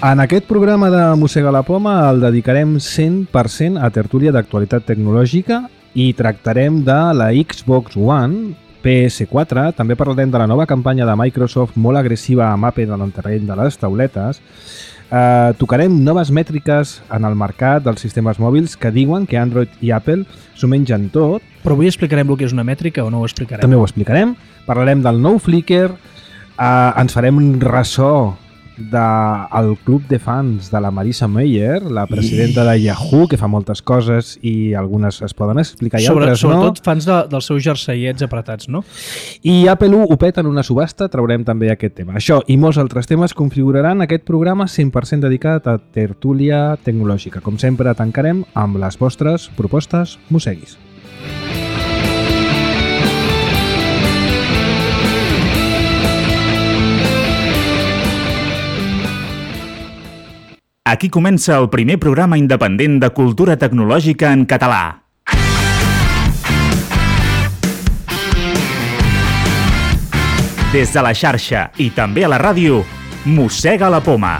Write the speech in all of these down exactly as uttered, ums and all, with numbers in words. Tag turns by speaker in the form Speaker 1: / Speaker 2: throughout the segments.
Speaker 1: En aquest programa de Mossega la Poma el dedicarem cent per cent a tertúlia d'actualitat tecnològica i tractarem de la Xbox One, P S quatre, també parlarem de la nova campanya de Microsoft molt agressiva amb Apple en el terreny de les tauletes, eh, tocarem noves mètriques en el mercat dels sistemes mòbils que diuen que Android i Apple s'ho mengen tot.
Speaker 2: Però avui explicarem el que és una mètrica o no ho explicarem?
Speaker 1: També ho explicarem. Parlarem del nou Flickr, eh, ens farem un ressò del club de fans de la Marisa Mayer, la presidenta de Yahoo, que fa moltes coses i algunes es poden explicar i
Speaker 2: Sobre,
Speaker 1: altres
Speaker 2: sobretot
Speaker 1: no.
Speaker 2: Sobretot fans de, dels seus jerseiets apretats, no?
Speaker 1: I Apple ho peta en una subhasta, traurem també aquest tema. Això i molts altres temes configuraran aquest programa cent per cent dedicat a tertúlia tecnològica. Com sempre, tancarem amb les vostres propostes mosseguis.
Speaker 3: Aquí comença el primer programa independent de cultura tecnològica en català. Des de la xarxa i també a la ràdio, Mossega la Poma.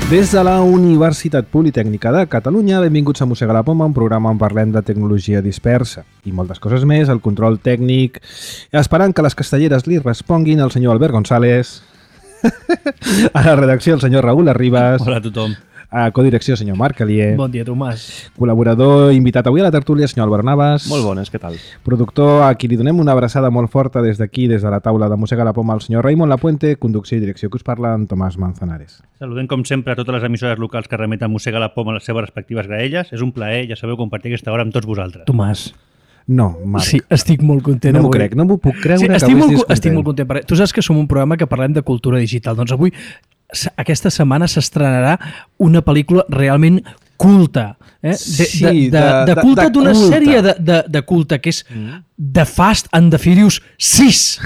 Speaker 1: Des de la Universitat Politècnica de Catalunya, benvinguts a Mossega la Poma, un programa on parlem de tecnologia dispersa i moltes coses més, el control tècnic, esperant que les castelleres li responguin el senyor Albert González, a la redacció el senyor Raül Arribas,
Speaker 2: hola a tothom,
Speaker 1: a codirecció el senyor Marc Alier,
Speaker 2: bon dia Tomàs,
Speaker 1: col·laborador invitat avui a la tertúlia el senyor Albert Navas,
Speaker 4: molt bones, què tal?
Speaker 1: Productor a qui li donem una abraçada molt forta des d'aquí, des de la taula de Mossega la Poma, el senyor Raimon Lapuente, conducció i direcció que us parla en Tomàs Manzanares.
Speaker 4: Saludem com sempre a totes les emissores locals que remeten Mossega la Poma a les seves respectives graelles. És un plaer, ja sabeu, compartir aquesta hora amb tots vosaltres.
Speaker 2: Tomàs.
Speaker 1: No, Marc.
Speaker 2: Sí, estic molt content
Speaker 1: no
Speaker 2: avui.
Speaker 1: No m'ho crec, no m'ho puc creure
Speaker 2: sí,
Speaker 1: que
Speaker 2: estic
Speaker 1: avui
Speaker 2: molt,
Speaker 1: estiguis content.
Speaker 2: Estic molt content. Perquè tu saps que som un programa que parlem de cultura digital. Doncs avui, aquesta setmana, s'estrenarà una pel·lícula realment culta. Eh? De,
Speaker 1: sí,
Speaker 2: de, de, de, de culta d'una sèrie de, de, de culta que és mm. The Fast and the Furious sis.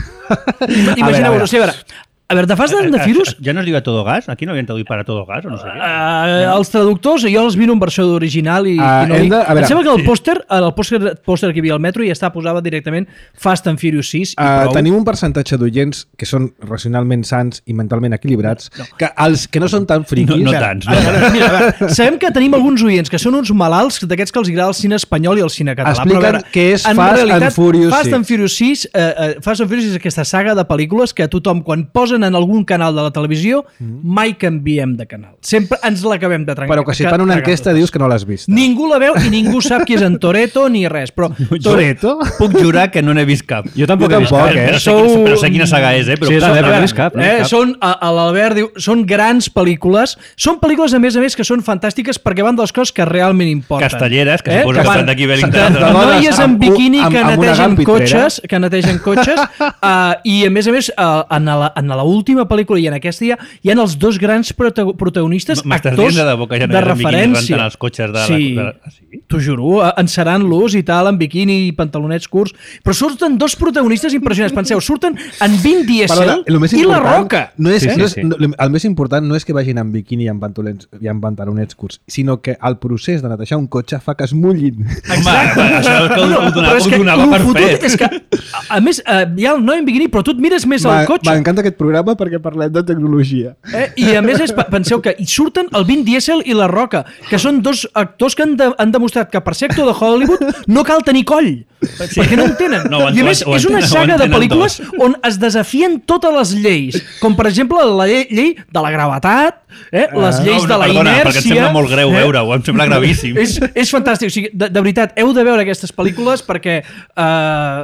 Speaker 2: Imagineu-vos, o sigui, a veure... A veure, The Fast and the Furious...
Speaker 4: Ja no es diu a todo gas? Aquí no havien traduït per a todo gas o no sé què?
Speaker 2: Uh, els traductors, jo els miro en versió original i,
Speaker 1: uh,
Speaker 2: i no dic...
Speaker 1: De,
Speaker 2: em sembla que el pòster, el pòster, pòster que hi havia al metro ja està posava directament Fast and Furious sis i
Speaker 1: uh,
Speaker 2: prou.
Speaker 1: Tenim un percentatge d'oients que són racionalment sans i mentalment equilibrats, no, no. que els que no són tan friquis...
Speaker 4: No, no tants. No.
Speaker 2: A veure, mira, a veure, sabem que tenim alguns oients que són uns malalts d'aquests que els agrada el cine espanyol i el cine català.
Speaker 1: Expliquen què és Fast
Speaker 2: realitat,
Speaker 1: and Furious
Speaker 2: Fast
Speaker 1: sis.
Speaker 2: and Furious sis. Uh, uh, Fast and Furious és aquesta saga de pel·lícules que a tothom, quan posen en algun canal de la televisió, mm. mai canviem de canal. Sempre ens l'acabem de trencar.
Speaker 1: Però que si fan una enquesta dius que no l'has vist.
Speaker 2: Ningú la veu i ningú sap qui és en Toretto ni res. Però
Speaker 1: Toretto?
Speaker 4: Puc jurar que no n'he vist cap.
Speaker 1: Jo tampoc, jo tampoc eh?
Speaker 4: Però, Sou... sé, però sé quina saga és, eh? Però
Speaker 1: sí,
Speaker 4: clar,
Speaker 1: no,
Speaker 4: no
Speaker 1: n'he vist cap. No
Speaker 2: eh,
Speaker 1: cap.
Speaker 2: Són, a, a l'Albert diu, són grans pel·lícules. Són pel·lícules, a més a més, que són fantàstiques perquè van de les coses que realment importen.
Speaker 4: Castelleres, que
Speaker 2: eh?
Speaker 4: suposo que, que estan d'aquí Wellington.
Speaker 2: Noies en biquini que
Speaker 1: amb,
Speaker 2: netegen cotxes, que netegen cotxes, uh, i a més a més, uh, en l'última pel·lícula i en aquesta ja, hi ha els dos grans protagonistes, actors
Speaker 4: de, boca, ja no
Speaker 2: de referència.
Speaker 4: Els cotxes de
Speaker 2: sí,
Speaker 4: la... De... sí?
Speaker 2: T'ho juro, encerant-los i tal, en biquini i pantalonets curts, però surten dos protagonistes impressionants. Penseu, surten en Vin Diesel i La Roca.
Speaker 1: No és,
Speaker 4: sí, sí,
Speaker 1: no és,
Speaker 4: sí.
Speaker 1: no, el més important no és que vagin en biquini i en pantalonets, i en pantalonets curts, sinó que el procés de netejar un cotxe fa que es mullin.
Speaker 2: Exacte.
Speaker 4: Home, això és que ho,
Speaker 2: no,
Speaker 4: ho donava, ho donava per fet.
Speaker 2: És que, a, a més, uh, hi ha el noi en biquini, però tu et mires més al cotxe.
Speaker 1: M'encanta aquest programa perquè parlem de tecnologia.
Speaker 2: Eh? I a més, és, penseu que hi surten el Vin Diesel i La Roca, que són dos actors que han, de, han demostrat que per ser actor de Hollywood no cal tenir coll, sí. perquè no en tenen. No, I a més, és una saga de pel·lícules on es desafien totes les lleis, com per exemple la llei, llei de la gravetat, eh? les lleis no, no, de la
Speaker 4: perdona,
Speaker 2: inèrcia...
Speaker 4: Perquè em sembla molt greu eh? veure-ho, em sembla gravíssim.
Speaker 2: és, és fantàstic, o sigui, de, de veritat, heu de veure aquestes pel·lícules perquè uh,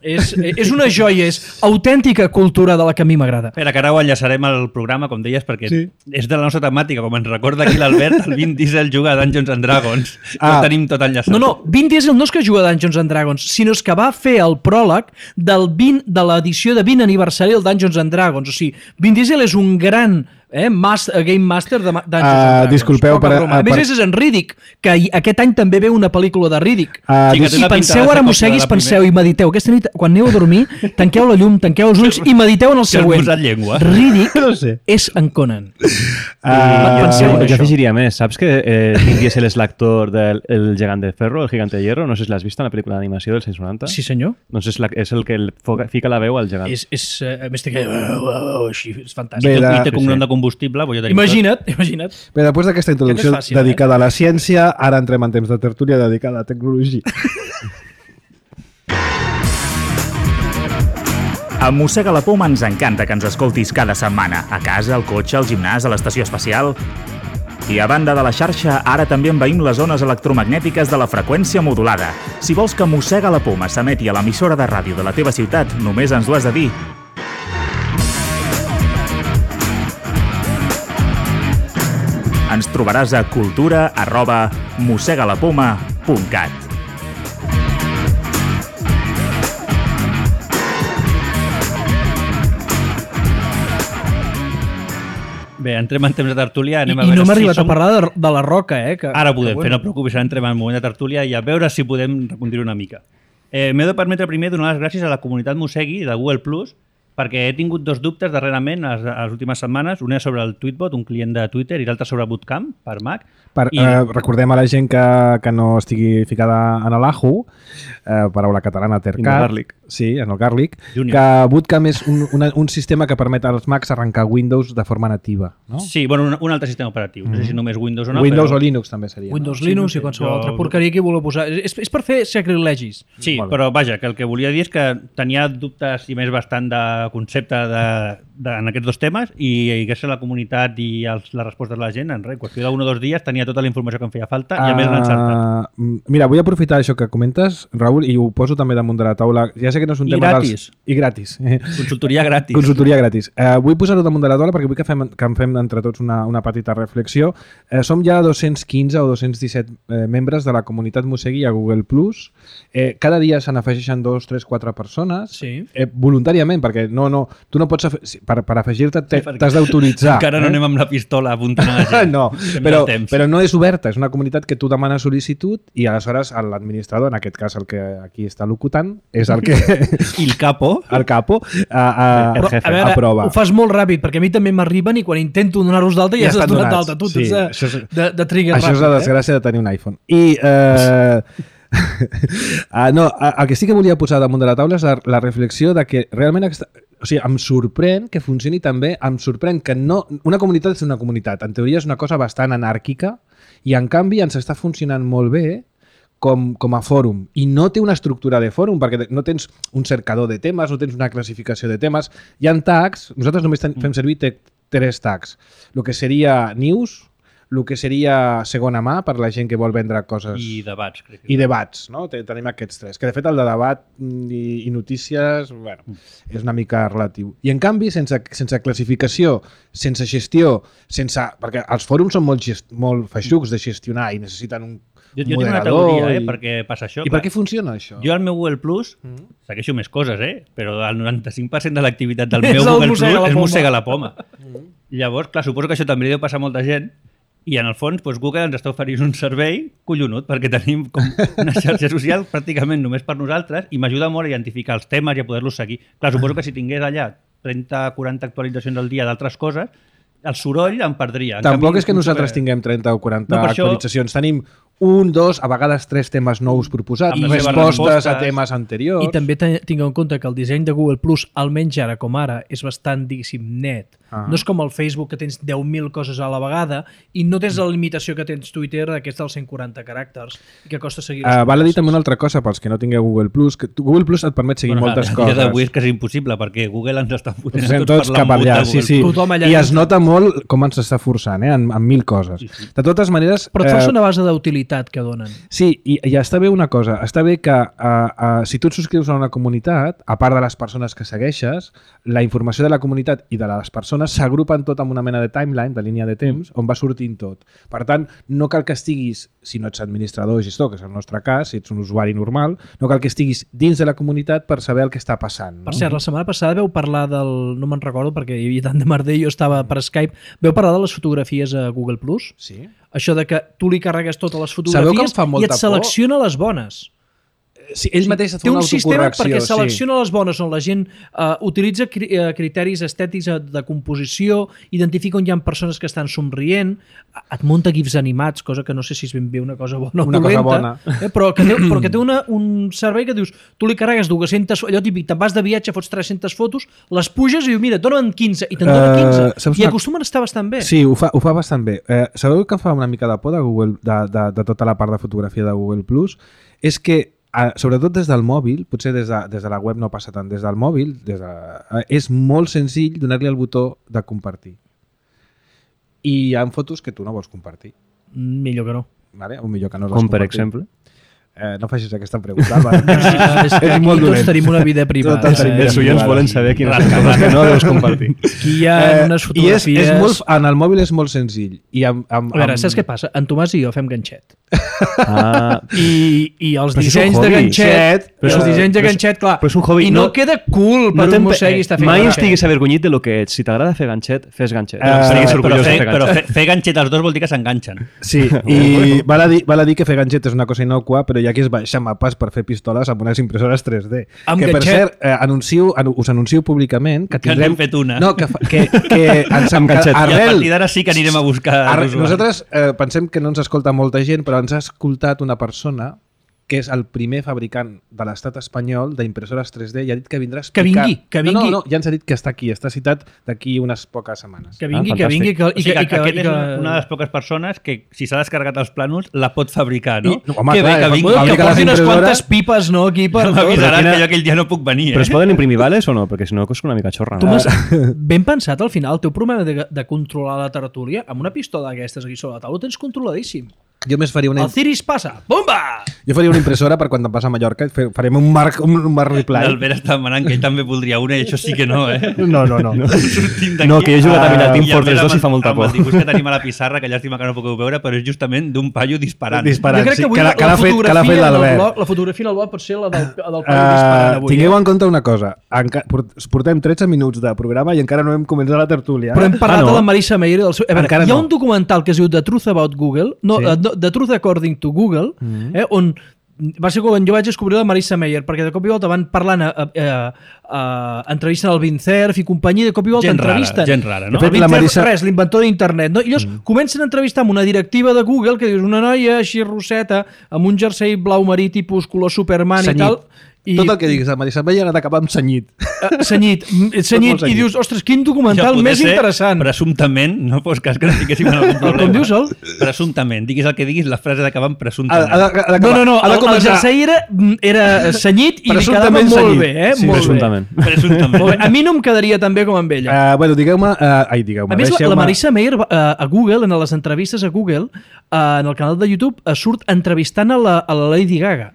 Speaker 2: és, és una joia, és autèntica cultura de la que a mi m'agrada.
Speaker 4: Espera, que ara ho enllaçarem al programa, com deies, perquè
Speaker 1: sí.
Speaker 4: és de la nostra temàtica, com ens recorda aquí l'Albert, el Vin Diesel juga a Dungeons and Dragons. Ah. Ho tenim tot enllaçat.
Speaker 2: No, no, Vin Diesel no és que juga a Dungeons and Dragons, sinó és que va fer el pròleg del vint, de l'edició de vint aniversari del Dungeons and Dragons. O sigui, Vin Diesel és un gran eh? Master, Game Master de Dungeons
Speaker 1: Uh,
Speaker 2: and Dragons.
Speaker 1: disculpeu
Speaker 2: Poca
Speaker 1: per-
Speaker 2: broma. A
Speaker 1: uh,
Speaker 2: més,
Speaker 1: per-
Speaker 2: és en Riddick, que hi- aquest any també ve una pel·lícula de Riddick.
Speaker 1: Uh,
Speaker 4: Sí, que
Speaker 1: dis-
Speaker 4: té una
Speaker 2: I
Speaker 4: pinta
Speaker 2: penseu,
Speaker 4: de ser
Speaker 2: ara
Speaker 4: còpia
Speaker 2: mosseguis,
Speaker 4: de la
Speaker 2: penseu
Speaker 4: primera.
Speaker 2: i mediteu. Aquesta nit, quan aneu a dormir, tanqueu la llum, tanqueu els ulls i mediteu en el
Speaker 4: Que has
Speaker 2: següent.
Speaker 4: posat llengua.
Speaker 2: Riddick
Speaker 1: No sé.
Speaker 2: és en Conan.
Speaker 1: Uh,
Speaker 2: penseu en
Speaker 5: jo
Speaker 2: això.
Speaker 5: afegiria més. Saps que eh, Vin Diesel és l'actor del el gegant de ferro, el gigante de hierro? No sé si l'has vist en la pel·lícula d'animació dels anys noranta.
Speaker 2: Sí, senyor.
Speaker 5: Doncs és, la, és el que el foca, fica la veu al gegant.
Speaker 2: És, és, eh, a més, té que... Així, és fantàstic.
Speaker 1: Bé,
Speaker 4: I
Speaker 1: de-
Speaker 4: té cognom
Speaker 5: sí.
Speaker 4: de combustible, vull jo tenir
Speaker 2: Imagina't, imagina't.
Speaker 1: Bé, després d'aquesta introducció
Speaker 2: Que no és fàcil,
Speaker 1: dedicada a la ciència, ara entrem en temps de tertúlia dedicada a la tecnologia.
Speaker 3: A Mossega la Poma ens encanta que ens escoltis cada setmana, a casa, al cotxe, al gimnàs, a l'estació espacial. I a banda de la xarxa, ara també envaïm les zones electromagnètiques de la freqüència modulada. Si vols que Mossega la Poma s'emeti a l'emissora de ràdio de la teva ciutat, només ens ho has de dir. Ens trobaràs a cultura arroba mossegalapoma punt cat.
Speaker 4: Bé, entrem en temps de tertúlia.
Speaker 2: I,
Speaker 4: Anem a
Speaker 2: i
Speaker 4: veure
Speaker 2: no m'ha
Speaker 4: si
Speaker 2: arribat
Speaker 4: som...
Speaker 2: a parlar de, de la Roca, eh? Que,
Speaker 4: Ara podem
Speaker 2: que,
Speaker 4: fer, no et preocupis, ara entrem en el moment de tertúlia i a veure si podem reconduir una mica. Eh, M'he de permetre primer donar les gràcies a la comunitat Mossegui de Google Plus, perquè he tingut dos dubtes darrerament les, les últimes setmanes. Un és sobre el Tweetbot, un client de Twitter, i l'altre sobre Bootcamp, per Mac.
Speaker 1: Per,
Speaker 4: I-
Speaker 1: eh, recordem a la gent que, que no estigui ficada en l'Ajo, eh, paraula catalana,
Speaker 5: In the
Speaker 1: tercat.
Speaker 5: garlic.
Speaker 1: Sí, en el Garlic.
Speaker 4: Junior.
Speaker 1: Que Bootcamp és un, una, un sistema que permet als Macs arrencar Windows de forma nativa. No?
Speaker 4: Sí, bueno, un, un altre sistema operatiu. No sé si només Windows o no,
Speaker 1: Windows
Speaker 4: però...
Speaker 1: o Linux també seria.
Speaker 2: Windows,
Speaker 4: Sí,
Speaker 2: Linux
Speaker 4: no sé,
Speaker 2: i qualsevol
Speaker 4: jo-
Speaker 2: altra porqueria que hi voleu posar. És, és per fer sacrilegis.
Speaker 4: Sí,
Speaker 1: Molt bé.
Speaker 4: però vaja, que el que volia dir és que tenia dubtes i més bastant de concepte de, de, en aquests dos temes i, i gràcies a la comunitat i als, les respostes de la gent, en res, qüestió d'un o dos dies tenia tota la informació que em feia falta i a més l'han encertat.
Speaker 1: Uh, mira, vull aprofitar això que comentes, Raül, i ho poso també damunt de la taula. Ja sé que no és un
Speaker 4: I
Speaker 1: tema
Speaker 4: gratis.
Speaker 1: dels... I gratis.
Speaker 4: Consultoria gratis.
Speaker 1: Consultoria gratis. Uh, vull posar-ho damunt de la taula perquè vull que fem, que en fem entre tots una, una petita reflexió. Uh, som ja dos-cents quinze o dos-cents disset eh, membres de la comunitat Mossegui a Google Plus. Eh, cada dia se n'afegeixen dos, tres, quatre persones.
Speaker 2: Sí.
Speaker 1: Eh, voluntàriament, perquè no, no, tu no pots... Afe... sí, Per, per afegir-te
Speaker 4: Sí, perquè
Speaker 1: t'has d'autoritzar.
Speaker 4: Encara no
Speaker 1: eh?
Speaker 4: anem amb la pistola apuntant a la gent.
Speaker 1: no,
Speaker 4: Fem
Speaker 1: però,
Speaker 4: el temps.
Speaker 1: però no és oberta, és una comunitat que tu demanes sol·licitud i aleshores l'administrador, en aquest cas el que aquí està locutant, és el que
Speaker 4: I el capo?
Speaker 1: el capo a, a,
Speaker 5: El
Speaker 2: Però,
Speaker 5: jefe,
Speaker 2: a veure,
Speaker 1: aprova.
Speaker 2: ho fas molt ràpid, perquè a mi també m'arriben i quan intento donar-los d'alta ja, ja
Speaker 1: estan
Speaker 2: estàs donat
Speaker 1: donats.
Speaker 2: d'alta. Tu
Speaker 1: Sí,
Speaker 2: tens de,
Speaker 1: això és-
Speaker 2: de, de trigger
Speaker 1: Això és
Speaker 2: ràpid.
Speaker 1: la desgràcia de tenir un iPhone. I eh, ah, no, a- el que sí que volia posar damunt de la taula és la, la reflexió de que realment aquesta, o sigui, em sorprèn que funcioni també, em sorprèn que no... Una comunitat és una comunitat. En teoria és una cosa bastant anàrquica i en canvi ens està funcionant molt bé com, com a fòrum. I no té una estructura de fòrum perquè no tens un cercador de temes, no tens una classificació de temes. Hi ha tags, nosaltres només ten, fem servir te, tres tags. El que seria news, el que seria segona mà per la gent que vol vendre coses
Speaker 4: I debats, crec. que
Speaker 1: i debats, no? Te- Tenim aquests tres. Que de fet el de debat i, i notícies, bueno, és una mica relatiu. I en canvi, sense, sense classificació, sense gestió, sense... perquè els fòrums són molt, gest, molt feixucs de gestionar i necessiten un
Speaker 4: Jo, jo tinc una
Speaker 1: moderador
Speaker 4: teoria, eh,
Speaker 1: i-
Speaker 4: perquè passa això.
Speaker 1: I per què funciona això?
Speaker 4: Jo al meu Google Plus
Speaker 1: Mm.
Speaker 4: segueixo més coses, eh? Però el noranta-cinc per cent de l'activitat del
Speaker 2: És
Speaker 4: meu
Speaker 2: el
Speaker 4: Google Plus
Speaker 2: mossega la
Speaker 4: és
Speaker 2: poma.
Speaker 4: mossega la poma. Llavors, clar, suposo que això també li deu passar a molta gent i en el fons doncs, Google ens està oferint un servei collonut perquè tenim com una xarxa social pràcticament només per nosaltres i m'ajuda molt a identificar els temes i a poder-los seguir. Clar, suposo que si tingués allà trenta o quaranta actualitzacions al dia d'altres coses, el soroll em perdria. En
Speaker 1: Tampoc
Speaker 4: canvi,
Speaker 1: és que nosaltres
Speaker 4: super-
Speaker 1: tinguem trenta o quaranta
Speaker 4: No, per això-
Speaker 1: actualitzacions. Tenim un, dos, a vegades tres temes nous proposats,
Speaker 4: Amb les seves
Speaker 1: respostes,
Speaker 4: respostes.
Speaker 1: a temes anteriors.
Speaker 2: I també te- tingueu en compte que el disseny de Google Plus, almenys ara com ara, és bastant, diguéssim, net.
Speaker 1: Ah.
Speaker 2: No és com el Facebook, que tens deu mil coses a la vegada i no tens la limitació que tens Twitter, aquesta dels cent quaranta caràcters, i que costa seguir les
Speaker 1: Uh, val a dir
Speaker 2: converses.
Speaker 1: també una altra cosa pels que no tingueu Google Plus, que tu- Google Plus et permet seguir
Speaker 4: Bueno,
Speaker 1: moltes
Speaker 4: a
Speaker 1: coses.
Speaker 4: dia d'avui és que és impossible perquè Google ens està fotent
Speaker 1: Ens anem
Speaker 4: tots,
Speaker 1: tots
Speaker 4: per
Speaker 1: cap
Speaker 4: l'embut
Speaker 1: allà,
Speaker 4: de
Speaker 1: sí,
Speaker 4: Google
Speaker 1: sí.
Speaker 4: Plus.
Speaker 2: Tothom allà
Speaker 1: I es
Speaker 2: dintre.
Speaker 1: nota molt com ens està forçant, eh, en, en mil coses.
Speaker 4: Sí, sí.
Speaker 1: De totes maneres...
Speaker 2: Però et força
Speaker 1: eh,
Speaker 2: una base d'utilitat que donen.
Speaker 1: Sí, i, i està bé una cosa, està bé que uh, uh, si tu et subscrius a una comunitat, a part de les persones que segueixes, la informació de la comunitat i de les persones s'agrupen tot en una mena de timeline, de línia de temps, on va sortint tot. Per tant, no cal que estiguis, si no ets administrador o gestor, que és el nostre cas, si ets un usuari normal, no cal que estiguis dins de la comunitat per saber el que està passant. No?
Speaker 2: Per cert, la setmana passada veu parlar del... No me'n recordo perquè hi havia tant de merder, jo estava per Skype Skype. Veu parlar de les fotografies a Google Plus?
Speaker 1: Sí.
Speaker 2: Això de que tu li carregues totes les
Speaker 1: Sabeu que em
Speaker 2: fotografies
Speaker 1: fa
Speaker 2: i
Speaker 1: molta
Speaker 2: et selecciona les bones.
Speaker 1: Sí, ell mateix et fa
Speaker 2: Té
Speaker 1: una
Speaker 2: un sistema
Speaker 1: autocorrecció.
Speaker 2: perquè selecciona
Speaker 1: sí.
Speaker 2: les bones on la gent uh, utilitza cri uh, criteris estètics de composició, identifica on hi ha persones que estan somrient, et munta gifs animats, cosa que no sé si és ben bé una cosa bona o
Speaker 1: Una cosa
Speaker 2: dolenta,
Speaker 1: bona.
Speaker 2: eh, però que té, però que té una, un servei que dius, tu li carregues dues-centes, allò típic, te'n vas de viatge, fots tres-centes fotos, les puges i diu, mira, dona'n quinze, i te'n dona quinze,
Speaker 1: Uh, saps
Speaker 2: i
Speaker 1: una-
Speaker 2: acostumen a estar bastant bé.
Speaker 1: Sí, ho fa, ho fa bastant bé. Eh, sabeu que em fa una mica de por de, Google, de, de, de tota la part de fotografia de Google Plus? És que, eh, sobretot des del mòbil, potser des de, des de la web no passa tant, des del mòbil des de, eh, és molt senzill donar-li el botó de compartir. I hi ha fotos que tu no vols compartir.
Speaker 2: Millor que no.
Speaker 1: Vale? O millor que no les
Speaker 5: Com per
Speaker 1: compartir.
Speaker 5: exemple?
Speaker 1: Eh, no facis aquesta pregunta, Álvaro.
Speaker 2: Ah, és que
Speaker 1: És
Speaker 2: aquí
Speaker 1: molt
Speaker 2: tots
Speaker 1: dolent.
Speaker 2: tenim una vida privada.
Speaker 1: Tots tenim
Speaker 2: eh?
Speaker 5: Els oients volen saber quines
Speaker 4: Rasca,
Speaker 5: coses que no deus compartir.
Speaker 2: Aquí hi ha
Speaker 1: Eh,
Speaker 2: unes
Speaker 1: I és,
Speaker 2: fotografies...
Speaker 1: és molt, en el mòbil és molt senzill. I amb, amb,
Speaker 2: A veure,
Speaker 1: amb...
Speaker 2: saps què passa? En Tomàs i jo fem ganxet.
Speaker 5: Ah,
Speaker 2: I, i els
Speaker 5: Però això és un
Speaker 2: dissenys de
Speaker 5: hobby.
Speaker 2: ganxet,
Speaker 1: Però
Speaker 2: i
Speaker 1: és
Speaker 2: els
Speaker 1: un-
Speaker 2: dissenys de
Speaker 5: però és-
Speaker 2: ganxet, clar,
Speaker 5: però és un hobby,
Speaker 2: i no,
Speaker 5: no-
Speaker 2: queda cool per
Speaker 5: no
Speaker 2: un mossegui estar fent
Speaker 5: mai
Speaker 2: ganxet.
Speaker 5: estiguis avergonyit de lo que ets. Si t'agrada fer ganxet, fes ganxet.
Speaker 1: Eh,
Speaker 5: Estiguis
Speaker 1: però
Speaker 5: orgullós
Speaker 4: però
Speaker 5: de
Speaker 4: fer,
Speaker 5: fer
Speaker 4: però
Speaker 5: ganxet.
Speaker 4: fer, fer ganxet els dos vol dir que s'enganxen.
Speaker 1: Sí, i val a, dir, val a dir que fer ganxet és una cosa innocua, però hi ha qui es baixa mapes per fer pistoles amb unes impressores tres D.
Speaker 2: Amb
Speaker 1: que, per
Speaker 2: ganxet.
Speaker 1: cert, eh, anuncio, anu- us anuncio públicament que
Speaker 4: Que
Speaker 1: tindrem...
Speaker 4: n'hem fet una.
Speaker 1: No, que, fa- que, que ens
Speaker 5: Amb ganxet.
Speaker 4: I a
Speaker 1: arrel,
Speaker 4: partir d'ara sí que anirem a buscar
Speaker 1: arrel,
Speaker 4: l'usuari.
Speaker 1: nosaltres eh, pensem que no ens escolta molta gent, però ens ha escoltat una persona que és el primer fabricant de l'estat espanyol d'impressores tres D i ha dit que vindrà a
Speaker 2: Que
Speaker 1: explicar...
Speaker 2: vingui, que
Speaker 1: No,
Speaker 2: vingui.
Speaker 1: no, no, ja ens ha dit que està aquí, està citat d'aquí unes poques setmanes.
Speaker 2: Que vingui,
Speaker 5: Ah,
Speaker 2: que vingui, que,
Speaker 4: O
Speaker 2: i
Speaker 4: sigui,
Speaker 2: que,
Speaker 4: que,
Speaker 2: i que,
Speaker 4: aquest
Speaker 2: i
Speaker 4: és
Speaker 2: que,
Speaker 4: una, una de les poques persones que, si s'ha descarregat els plànols, la pot fabricar, no?
Speaker 1: I- no, home,
Speaker 4: que
Speaker 1: clar,
Speaker 4: bé que
Speaker 1: eh,
Speaker 4: vingui.
Speaker 2: Bueno, que
Speaker 1: fabrica les
Speaker 2: porti unes
Speaker 1: impressores.
Speaker 2: quantes pipes, no, aquí per...
Speaker 4: M'avisaràs
Speaker 5: quina-
Speaker 4: que jo aquell dia no puc venir, eh?
Speaker 5: Però es poden imprimir vales o no? Perquè si no, costa una mica xorra.
Speaker 2: Tu
Speaker 5: No?
Speaker 2: m'has ben pensat, al final, el teu problema de, de controlar la tertúlia, amb una pistola d'aquestes aquí sobre la taula, ho tens controladíssim.
Speaker 1: Jo més faria una...
Speaker 2: El Ciris passa, bomba!
Speaker 1: Jo faria una impressora per quan te'n vas a Mallorca i fe- farem un marc, un, un marc reply.
Speaker 4: L'Albert està demanant que ell també voldria una i això sí que no, eh?
Speaker 1: No, no, no.
Speaker 4: Sortim d'aquí.
Speaker 5: No, que jo he jugat a mirar
Speaker 1: Ah,
Speaker 5: Team
Speaker 4: I a
Speaker 5: Fortress
Speaker 4: més,
Speaker 5: dos i fa molta
Speaker 4: amb
Speaker 5: por.
Speaker 4: el dibuix que tenim a la pissarra, que llàstima que no pugueu veure, però és justament d'un paio disparant.
Speaker 1: Disparant,
Speaker 2: jo crec
Speaker 1: sí,
Speaker 2: que avui
Speaker 1: que l'ha-
Speaker 2: la,
Speaker 1: que
Speaker 2: la,
Speaker 1: l'ha fet- que l'ha fet
Speaker 2: fotografia del
Speaker 1: l'Albert.
Speaker 2: blog, la fotografia del blog pot ser la del, del paio disparant
Speaker 1: Uh,
Speaker 2: avui.
Speaker 1: tingueu
Speaker 2: eh?
Speaker 1: en compte una cosa. Enca port- portem tretze minuts de programa i encara no hem començat la tertúlia.
Speaker 2: Però hem parlat
Speaker 5: Ah, no?
Speaker 2: de la Marisa Meyer i del seu... A veure,
Speaker 1: Encara
Speaker 2: hi ha
Speaker 1: no.
Speaker 2: un documental que es diu The Truth About Google, no,
Speaker 1: Sí.
Speaker 2: sí. uh, The Truth According to Google, mm -hmm. eh, on va ser quan jo vaig descobrir la Marisa Meyer, perquè de cop i volta van parlant, a, a, a, a, entrevisten el Vint Cerf i companyia, de cop i volta
Speaker 4: Gent rara,
Speaker 2: entrevisten.
Speaker 4: gent rara, no?
Speaker 1: De fet,
Speaker 2: El Vint
Speaker 1: la
Speaker 2: Cerf,
Speaker 1: Marisa-
Speaker 2: res, l'inventor d'internet, no? I llavors mm. comencen a entrevistar amb una directiva de Google que dius, una noia així rosseta, amb un jersei blau marí tipus color Superman
Speaker 1: Senyit.
Speaker 2: i tal, i
Speaker 1: Tot el que diguis de Marisa Meyer ha d'acabar amb senyit.
Speaker 2: eh, senyit, mm, senyit,
Speaker 1: molt senyit.
Speaker 2: i dius, ostres, quin documental
Speaker 4: poder
Speaker 2: més
Speaker 4: ser,
Speaker 2: interessant.
Speaker 4: Presumptament, no fos cas que no tinguéssim algun problema.
Speaker 2: Com dius, el?
Speaker 4: Presumptament. Diguis el que diguis, la frase d'acabar amb
Speaker 1: Ha,
Speaker 4: presumptament.
Speaker 1: ha, de- ha
Speaker 2: No,
Speaker 1: d'acabar-
Speaker 2: no, no,
Speaker 1: ha de
Speaker 2: el, el
Speaker 1: començar-
Speaker 2: jersei era, era senyit i li quedava
Speaker 1: Presumptament
Speaker 2: molt
Speaker 1: senyit.
Speaker 2: bé, eh?
Speaker 1: Sí,
Speaker 2: molt
Speaker 5: presumptament.
Speaker 2: bé.
Speaker 4: Presumptament.
Speaker 2: Molt bé. A mi no em quedaria tan bé com amb ella.
Speaker 1: Uh, bueno, digueu-me... Uh, ai, digueu-me.
Speaker 2: A més, la,
Speaker 1: deixeu-me-
Speaker 2: la Marisa Meyer uh, a Google, en les entrevistes a Google, uh, en el canal de YouTube, uh, surt entrevistant a la, a la Lady Gaga.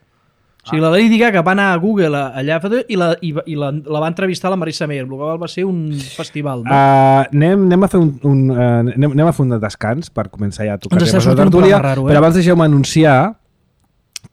Speaker 2: O sigui, la Lady Gaga va anar a Google a- allà i, la, i, va- i la, la va entrevistar la Marisa Meyer. El que va ser un festival. No?
Speaker 1: Uh, anem, anem a fer un, un uh, anem, anem a fer un descans per començar ja a tocar
Speaker 2: Ens està
Speaker 1: temes de
Speaker 2: sortint un
Speaker 1: tertúlia,
Speaker 2: programa raro, eh?
Speaker 1: però abans deixeu-me anunciar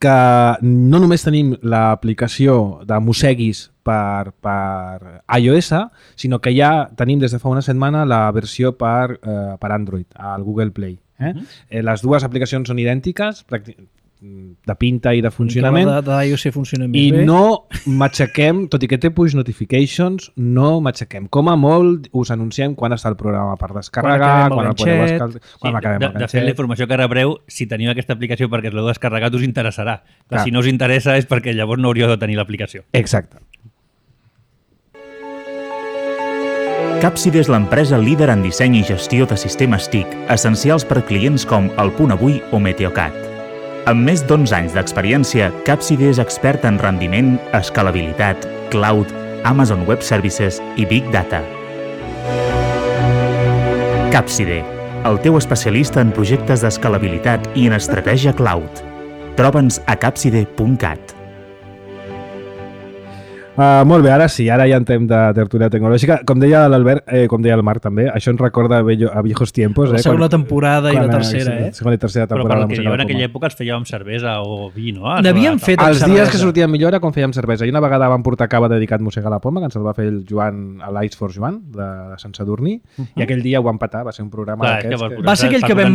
Speaker 1: que no només tenim l'aplicació de Mosseguis per, per iOS, sinó que ja tenim des de fa una setmana la versió per, uh, per Android, al Google Play. Eh? Uh -huh. eh, les dues aplicacions són idèntiques, pràctic- de pinta i de funcionament,
Speaker 2: La de, de iOS funciona més
Speaker 1: i
Speaker 2: bé.
Speaker 1: no matxaquem, tot i que té push notifications, no matxaquem. Com a molt us anunciem quan està el programa per descarregar,
Speaker 2: Quan
Speaker 1: quan, el
Speaker 2: acabem el
Speaker 1: podeu
Speaker 2: ganxet.
Speaker 1: escal... quan
Speaker 4: Sí,
Speaker 1: acabem
Speaker 4: de,
Speaker 1: el
Speaker 4: de fet, la
Speaker 1: ganxet.
Speaker 4: informació que rebreu, si teniu aquesta aplicació perquè us l'heu descarregat, us interessarà. Clar.
Speaker 1: Clar.
Speaker 4: Si no us interessa és perquè llavors no hauríeu de tenir l'aplicació.
Speaker 1: Exacte.
Speaker 3: Capside és l'empresa líder en disseny i gestió de sistemes T I C, essencials per clients com El Punt Avui o Meteocat. Amb més d'onze anys d'experiència, Capside és expert en rendiment, escalabilitat, cloud, Amazon Web Services i Big Data. Capside, el teu especialista en projectes d'escalabilitat i en estratègia cloud. Troba'ns a capside punt cat.
Speaker 1: Uh, molt bé, ara sí, ara ja entrem de tertúlia tecnològica. Com deia l'Albert, eh, com deia el Marc també, això ens recorda a, vello, a viejos tiempos.
Speaker 2: La
Speaker 1: eh,
Speaker 2: segona
Speaker 1: quan,
Speaker 2: temporada
Speaker 1: quan,
Speaker 2: i la tercera, eh?
Speaker 1: Segona i tercera
Speaker 4: Però
Speaker 1: temporada.
Speaker 4: pel que jo en aquella època els fèiem amb cervesa o vi, no?
Speaker 2: N'havíem fet amb
Speaker 1: Els
Speaker 2: cervesa.
Speaker 1: dies que sortien millor era quan fèiem cervesa. I una vegada vam portar cava dedicat Mossega la Poma, que ens el va fer el Joan a l'Ice for Joan, de Sant Sadurní, uh -huh. i aquell dia ho vam patar, va ser un programa
Speaker 4: Clar,
Speaker 1: d'aquests.
Speaker 4: que
Speaker 1: Que...
Speaker 2: Va ser aquell que vam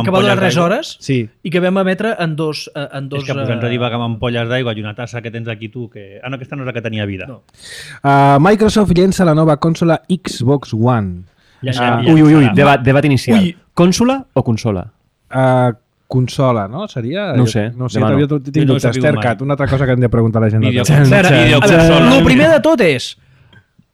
Speaker 2: que va durar tres hores
Speaker 1: Sí.
Speaker 2: i que vam emetre en dos... En dos
Speaker 4: és que posant a divagar amb ampolles d'aigua i una tassa que tens aquí tu, que... Ah, no, aquesta no és la que tenia vida.
Speaker 2: No.
Speaker 1: Uh, Microsoft llença la nova consola Xbox One.
Speaker 4: Ja,
Speaker 5: Ah,
Speaker 4: ja,
Speaker 5: ui, ui, ui,
Speaker 4: serà.
Speaker 5: debat, debat inicial.
Speaker 2: Ui.
Speaker 5: Consola o consola?
Speaker 1: Uh, consola, no? Seria?
Speaker 5: No ho sé,
Speaker 1: No sé,
Speaker 5: demano.
Speaker 1: jo tinc
Speaker 4: Jo no ho he
Speaker 1: dubtes.
Speaker 4: sabut mai.
Speaker 1: Tercat, una altra cosa que hem de preguntar a la gent. de
Speaker 4: Video-
Speaker 1: Tercat.
Speaker 2: Espera,
Speaker 4: Videoconsola.
Speaker 2: el primer de tot és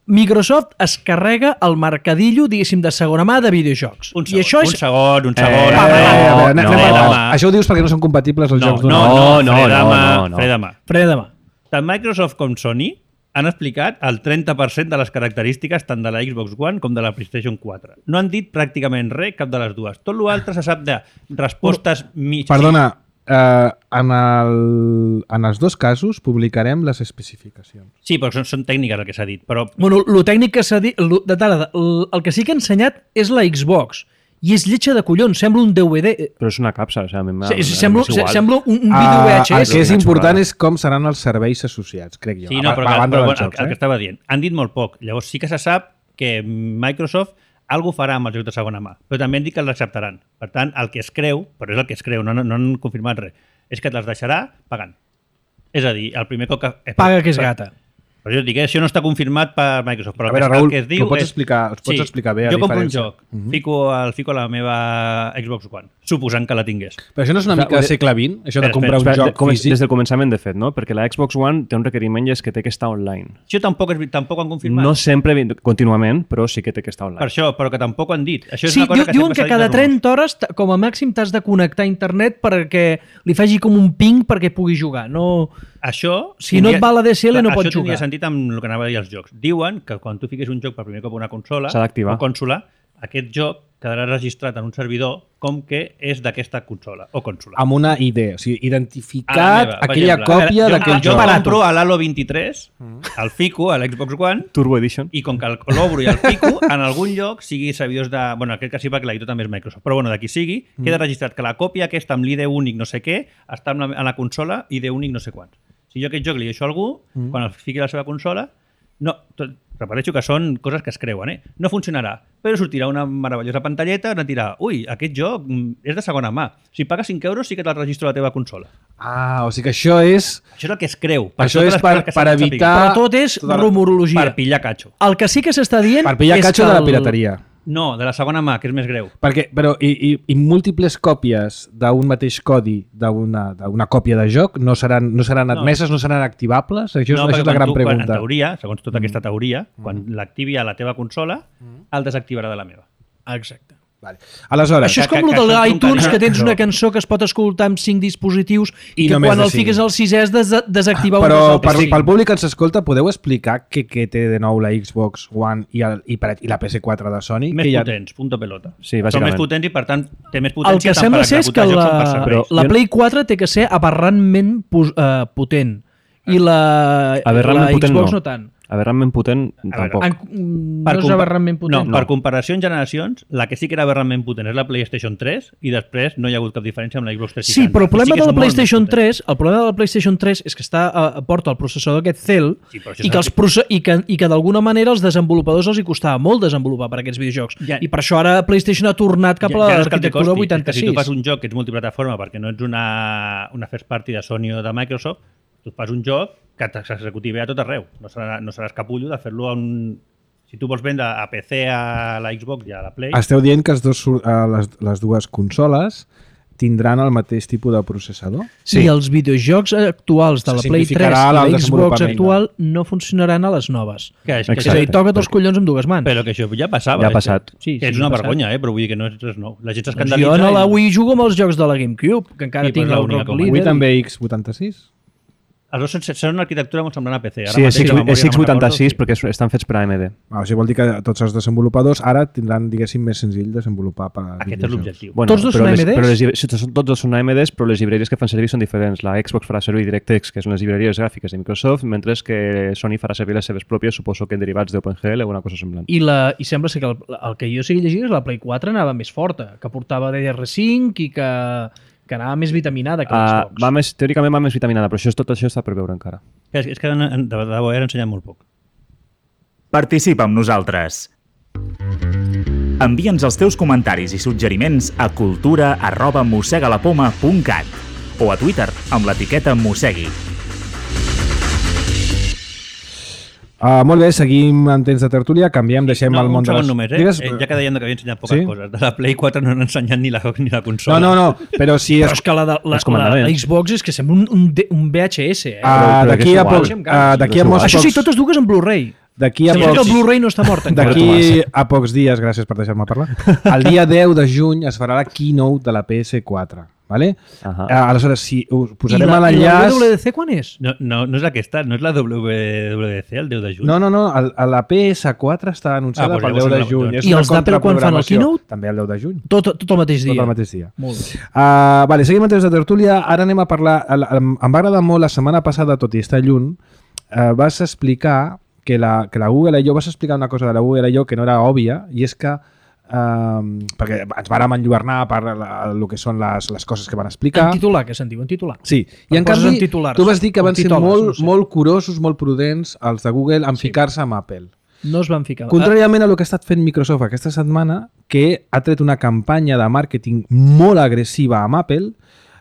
Speaker 2: Microsoft es carrega el mercadillo, diguéssim, de segona mà de videojocs.
Speaker 4: Un
Speaker 2: I
Speaker 4: segon,
Speaker 2: això és...
Speaker 4: un segon, un
Speaker 5: Eh,
Speaker 4: segon.
Speaker 1: Eh, a veure, a veure, anem-
Speaker 5: no,
Speaker 1: anem a-
Speaker 4: no.
Speaker 1: Això ho dius perquè no són compatibles els
Speaker 4: No,
Speaker 1: jocs
Speaker 4: no,
Speaker 1: d'una
Speaker 4: no,
Speaker 5: no,
Speaker 4: fre de
Speaker 5: no,
Speaker 4: mà,
Speaker 5: no, no.
Speaker 4: fre de mà.
Speaker 2: Fre de mà.
Speaker 4: Tant Microsoft com Sony han explicat el trenta per cent de les característiques tant de la Xbox One com de la PlayStation quatre. No han dit pràcticament res, cap de les dues. Tot l'altre se sap de respostes mig...
Speaker 1: Perdona, eh, en, el, en els dos casos publicarem les especificacions.
Speaker 4: Sí, però són, són tècniques el que s'ha dit. Però
Speaker 2: Bueno, el tècnic que s'ha dit... lo- De tarda, el, el que sí que ha ensenyat és la Xbox. I és lletja de collons, sembla un D V D.
Speaker 5: Però és una capsa, o sigui, a mi m'ha-
Speaker 2: Se-
Speaker 5: m'ha-
Speaker 2: Sembla,
Speaker 5: és igual.
Speaker 2: sembla un, un vídeo
Speaker 1: Ah,
Speaker 2: V
Speaker 1: el
Speaker 2: H S.
Speaker 1: que és
Speaker 5: una
Speaker 1: important
Speaker 5: xulada.
Speaker 1: és com seran els serveis associats, crec jo.
Speaker 4: sí, no,
Speaker 1: a,
Speaker 4: però,
Speaker 1: a
Speaker 4: que,
Speaker 1: banda
Speaker 4: però
Speaker 1: dels
Speaker 4: bueno,
Speaker 1: jocs,
Speaker 4: el, el que
Speaker 1: eh?
Speaker 4: estava dient. Han dit molt poc. Llavors sí que se sap que Microsoft algú farà amb els jocs de segona mà, però també han dit que els acceptaran. Per tant, el que es creu, però és el que es creu, no, no, no han confirmat res, és que te'ls deixarà pagant. És a dir, el primer cop que... eh,
Speaker 2: Paga que és
Speaker 4: però-
Speaker 2: gata.
Speaker 4: Però jo et dic, eh, això no està confirmat per Microsoft, però
Speaker 1: A
Speaker 4: el
Speaker 1: veure,
Speaker 4: que,
Speaker 1: Raül,
Speaker 4: el que es diu
Speaker 1: ho pots
Speaker 4: és...
Speaker 1: explicar- ho pots explicar bé, a
Speaker 4: Jo compro un
Speaker 1: diferència.
Speaker 4: joc, fico, el, fico a la meva Xbox One, suposant que la tingués.
Speaker 1: Però això no és una
Speaker 5: Clar,
Speaker 1: mica
Speaker 5: ho de-
Speaker 1: segle vint, això de
Speaker 4: Espera,
Speaker 1: comprar un
Speaker 5: Espera, de,
Speaker 1: joc
Speaker 5: com,
Speaker 1: físic?
Speaker 5: des del començament, de fet, no? Perquè la Xbox One té un requeriment i és que té que estar online.
Speaker 4: Això tampoc, és, tampoc ho han confirmat.
Speaker 5: No sempre, contínuament, però sí que té que estar online.
Speaker 4: Per això, però que tampoc ho han dit. Això és
Speaker 2: Sí,
Speaker 4: una cosa
Speaker 2: diu,
Speaker 4: que
Speaker 2: diuen
Speaker 4: sempre
Speaker 2: que
Speaker 4: s'ha dit
Speaker 2: cada
Speaker 4: als rumors.
Speaker 2: trenta hores, t- com a màxim, t'has de connectar a internet perquè li faci com un ping perquè pugui jugar. No...
Speaker 4: Això...
Speaker 2: Si no et va la D S L, no
Speaker 4: això
Speaker 2: pots
Speaker 4: tindria
Speaker 2: jugar.
Speaker 4: sentit amb el que anava a dir els jocs. Diuen que quan tu fiquis un joc per primer cop a una consola
Speaker 5: S'ha d'activar.
Speaker 4: o consola, aquest joc quedarà registrat en un servidor com que és d'aquesta consola o consola.
Speaker 1: Amb una I D, o sigui,
Speaker 4: A la
Speaker 1: identificat
Speaker 4: meva, per
Speaker 1: aquella
Speaker 4: exemple.
Speaker 1: còpia
Speaker 4: jo,
Speaker 1: d'aquell
Speaker 4: jo
Speaker 1: joc.
Speaker 4: compro a l'Halo vint-i-tres, el fico a l'Xbox One,
Speaker 5: Turbo Edition.
Speaker 4: i com que el- l'obro i el fico, en algun lloc, sigui servidors de... Bueno, aquest que sí, perquè l'editor també és Microsoft, però bueno, d'aquí sigui, queda registrat que la còpia aquesta amb l'I D únic no sé què està en la, en la consola I D únic no sé quants. Si jo aquest joc li deixo a algú, quan el fiqui a la seva consola, no, tot, repeteixo que són coses que es creuen, eh? No funcionarà, però sortirà una meravellosa pantalleta on et dirà, ui, aquest joc mm, és de segona mà. Si pagues cinc euros sí que te'l registro a la teva consola.
Speaker 1: Ah, o sigui que això és...
Speaker 4: Això és el que es creu.
Speaker 1: Això
Speaker 4: totes
Speaker 1: és
Speaker 4: les
Speaker 1: per-
Speaker 4: coses que
Speaker 1: per
Speaker 4: s'han de
Speaker 1: evitar-
Speaker 2: Però tot és
Speaker 1: tota la-
Speaker 2: rumorologia.
Speaker 4: Per pillar catxo.
Speaker 2: El que sí que s'està dient
Speaker 1: Per pillar
Speaker 2: és
Speaker 1: catxo
Speaker 2: que
Speaker 1: de la
Speaker 2: el-
Speaker 1: pirateria.
Speaker 4: No, de la segona mà, que és més greu.
Speaker 1: Perquè, però, i, i, i múltiples còpies d'un mateix codi d'una d'una còpia de joc no seran, no seran admeses, no, no seran activables? Això, és,
Speaker 4: no,
Speaker 1: això és la
Speaker 4: perquè
Speaker 1: gran
Speaker 4: quan tu, quan,
Speaker 1: pregunta.
Speaker 4: en teoria, segons tota aquesta teoria, quan l'activi a la teva consola, el desactivarà de la meva.
Speaker 2: Exacte.
Speaker 1: Vale. Aleshores,
Speaker 2: Això és
Speaker 4: que-
Speaker 2: com
Speaker 4: que-
Speaker 2: el de
Speaker 4: que són
Speaker 2: l'iTunes, que tens
Speaker 4: però-
Speaker 2: una cançó que es pot escoltar amb cinc dispositius i,
Speaker 1: I
Speaker 2: que
Speaker 1: només
Speaker 2: quan
Speaker 1: de
Speaker 2: el
Speaker 1: cinc.
Speaker 2: fiques al sisè has de des- desactivar un
Speaker 1: però
Speaker 2: dels
Speaker 1: per,
Speaker 2: altres cinc.
Speaker 1: pel públic que ens escolta, podeu explicar què, què té de nou la Xbox One i, el, i, per, i la P S quatre de Sony?
Speaker 4: Més
Speaker 1: que hi ha...
Speaker 4: potents, punto pelota.
Speaker 5: Sí,
Speaker 4: Són
Speaker 5: bàsicament.
Speaker 4: més potents i, per tant, té més
Speaker 2: El
Speaker 4: potència
Speaker 2: que
Speaker 4: tant
Speaker 2: sembla
Speaker 4: per
Speaker 2: ser és que
Speaker 4: executar jocs
Speaker 2: la,
Speaker 4: com per serveis.
Speaker 5: Però
Speaker 2: la
Speaker 5: jo-
Speaker 2: Play quatre té que ser aberrantment pos- eh, potent i la,
Speaker 5: Aberrantment
Speaker 2: la
Speaker 5: potent
Speaker 2: Xbox
Speaker 5: no.
Speaker 2: no, tant.
Speaker 5: Aberrantment potent,
Speaker 4: veure,
Speaker 5: tampoc.
Speaker 2: En, mm,
Speaker 4: Per
Speaker 2: no és
Speaker 4: compa-
Speaker 2: aberrantment potent.
Speaker 4: No, per comparació en generacions, la que sí que era aberrantment potent és la PlayStation tres i després no hi ha hagut cap diferència amb la Xbox tres
Speaker 2: Sí,
Speaker 4: seixanta.
Speaker 2: però el problema
Speaker 4: que
Speaker 2: de
Speaker 4: és
Speaker 2: la
Speaker 4: molt més
Speaker 2: PlayStation
Speaker 4: potent.
Speaker 2: tres, el problema de la PlayStation tres és que està a, porta el processador aquest Cell
Speaker 4: Sí, però això
Speaker 2: i que, els
Speaker 4: s'ha-
Speaker 2: proce i que, i que d'alguna manera els desenvolupadors els hi costava molt desenvolupar per aquests videojocs.
Speaker 4: Ja-
Speaker 2: I per això ara PlayStation ha tornat cap a
Speaker 4: Ja- ja no és que et
Speaker 2: l'arquitectura
Speaker 4: costi, és que
Speaker 2: vuitanta-sis.
Speaker 4: Si tu fas un joc que ets multiplataforma perquè no ets una, una first party de Sony o de Microsoft, tu fas un joc que s'executi bé a tot arreu. No serà, no seràs capullo de fer-lo a un... Si tu vols vendre a P C, a la Xbox i a la Play...
Speaker 1: Esteu dient que els dos, sur- eh, les, les dues consoles tindran el mateix tipus de processador?
Speaker 2: Sí. I els videojocs actuals de
Speaker 1: Se
Speaker 2: la Play tres
Speaker 1: simplificarà
Speaker 2: i la
Speaker 1: el
Speaker 2: Xbox
Speaker 1: desenvolupament.
Speaker 2: actual no funcionaran a les noves.
Speaker 4: Que és, que
Speaker 2: És a dir, toca't els collons amb dues mans.
Speaker 4: Però que això ja passava.
Speaker 5: Ja ha
Speaker 4: és
Speaker 5: passat.
Speaker 4: Que,
Speaker 2: Sí,
Speaker 4: que
Speaker 2: sí,
Speaker 4: és una
Speaker 2: ha passat.
Speaker 4: vergonya, eh? Però vull dir que no és res nou. La gent
Speaker 2: Doncs
Speaker 4: s'escandalitza.
Speaker 2: jo a la
Speaker 4: i-
Speaker 2: Wii jugo amb els jocs de la GameCube, que encara
Speaker 4: Sí, però
Speaker 2: tinc
Speaker 4: és
Speaker 2: el
Speaker 4: l'única
Speaker 2: Rock
Speaker 4: com a
Speaker 1: Avui
Speaker 2: Leader.
Speaker 1: també X vuitanta-sis?
Speaker 4: Els dos són una arquitectura molt semblant a P C. Ara
Speaker 5: Sí, és,
Speaker 4: mateix la memòria
Speaker 5: és
Speaker 4: no
Speaker 5: X
Speaker 4: me'n
Speaker 5: vuitanta-sis
Speaker 4: recordo,
Speaker 5: perquè és- estan fets per A M D.
Speaker 1: Ah, o sigui, vol dir que tots els desenvolupadors ara tindran, diguéssim, més senzill desenvolupar per a
Speaker 4: Aquest és
Speaker 1: videojocs.
Speaker 4: l'objectiu.
Speaker 5: Bueno,
Speaker 2: Tots dos
Speaker 5: però
Speaker 2: són
Speaker 5: les-
Speaker 2: A M Ds?
Speaker 5: Però les, llibre- sí, són- tots dos són A M Ds, però les llibreries que fan servir són diferents. La Xbox farà servir DirectX, que són les llibreries gràfiques de Microsoft, mentre que Sony farà servir les seves pròpies, suposo que en derivats d'OpenGL o una cosa semblant.
Speaker 2: I, la, I sembla ser que el, el que jo sigui llegint és la Play quatre anava més forta, que portava D D R cinc i que, que anava més vitaminada que
Speaker 5: Uh,
Speaker 2: l'Xbox.
Speaker 5: va més, teòricament va més vitaminada, però això és, tot això està per veure encara.
Speaker 4: És, és que de, de debò han ensenyat molt poc.
Speaker 3: Participa amb nosaltres. Envia'ns els teus comentaris i suggeriments a cultura arroba mossegalapoma punt cat o a Twitter amb l'etiqueta mossegui.
Speaker 1: Uh, molt bé, seguim en temps de tertúlia, canviem, deixem
Speaker 4: no,
Speaker 1: el món
Speaker 4: un
Speaker 1: de
Speaker 4: segon
Speaker 1: les...
Speaker 4: només, eh?
Speaker 1: Digues...
Speaker 4: eh? Ja que dèiem que havia ensenyat poques
Speaker 1: Sí?
Speaker 4: coses. De la Play quatre no han ensenyat ni la, ni la consola.
Speaker 1: No, no, no, però si
Speaker 2: Però
Speaker 1: és...
Speaker 2: és que la, de, la,
Speaker 5: Els comandaments.
Speaker 2: la Xbox és que sembla un, un, D- un V H S, eh?
Speaker 1: Uh,
Speaker 5: però
Speaker 1: d'aquí
Speaker 5: és
Speaker 1: a
Speaker 5: igual.
Speaker 1: pocs... Uh, d'aquí a molts
Speaker 2: Això sí,
Speaker 1: pocs...
Speaker 2: totes dues en Blu-ray.
Speaker 1: D'aquí a
Speaker 2: Sembla que el
Speaker 1: pocs...
Speaker 2: Blu-ray no està mort encara.
Speaker 1: D'aquí a pocs dies, gràcies per deixar-me parlar, el dia deu de juny es farà la keynote de la P S quatre. Vale?
Speaker 5: Ahà.
Speaker 1: Uh, aleshores, si us
Speaker 2: I
Speaker 1: posarem
Speaker 2: la,
Speaker 1: a
Speaker 2: i la
Speaker 1: l'enllaç...
Speaker 2: W W D C quan és?
Speaker 4: No, no, no és aquesta, no és la W W D C el deu de juny.
Speaker 1: No, no, no, el, el- la P S quatre està anunciada
Speaker 4: Ah, doncs
Speaker 1: pel
Speaker 4: llavors
Speaker 1: deu de
Speaker 4: no-
Speaker 1: juny.
Speaker 4: doncs-
Speaker 1: És
Speaker 2: I
Speaker 1: una
Speaker 2: els d'Apple quan fan el
Speaker 1: contraprogramació.
Speaker 2: keynote?
Speaker 1: També el deu de juny.
Speaker 2: Tot, tot el mateix dia.
Speaker 1: Tot el mateix dia.
Speaker 2: Molt bé.
Speaker 1: Uh, vale, seguim en temps de tertúlia. Ara anem a parlar... el- el- Em va agradar molt la setmana passada, tot i estar lluny, uh, vas explicar que la, que la Google I O, vas explicar una cosa de la Google I O que no era òbvia, i és que Um, perquè ens vàrem enlluernar per la, el que són les, les coses que van explicar.
Speaker 2: En titular, que se'n diu, en titular.
Speaker 1: Sí, i en
Speaker 2: Poses
Speaker 1: canvi
Speaker 2: en titulars,
Speaker 1: tu vas dir que
Speaker 2: o
Speaker 1: van ser
Speaker 2: titoles,
Speaker 1: molt,
Speaker 2: no sé.
Speaker 1: molt curosos, molt prudents els de Google en
Speaker 2: Sí.
Speaker 1: ficar-se amb Apple.
Speaker 2: No es van ficar.
Speaker 1: Contràriament a el que ha estat fent Microsoft aquesta setmana, que ha tret una campanya de màrqueting molt agressiva amb Apple,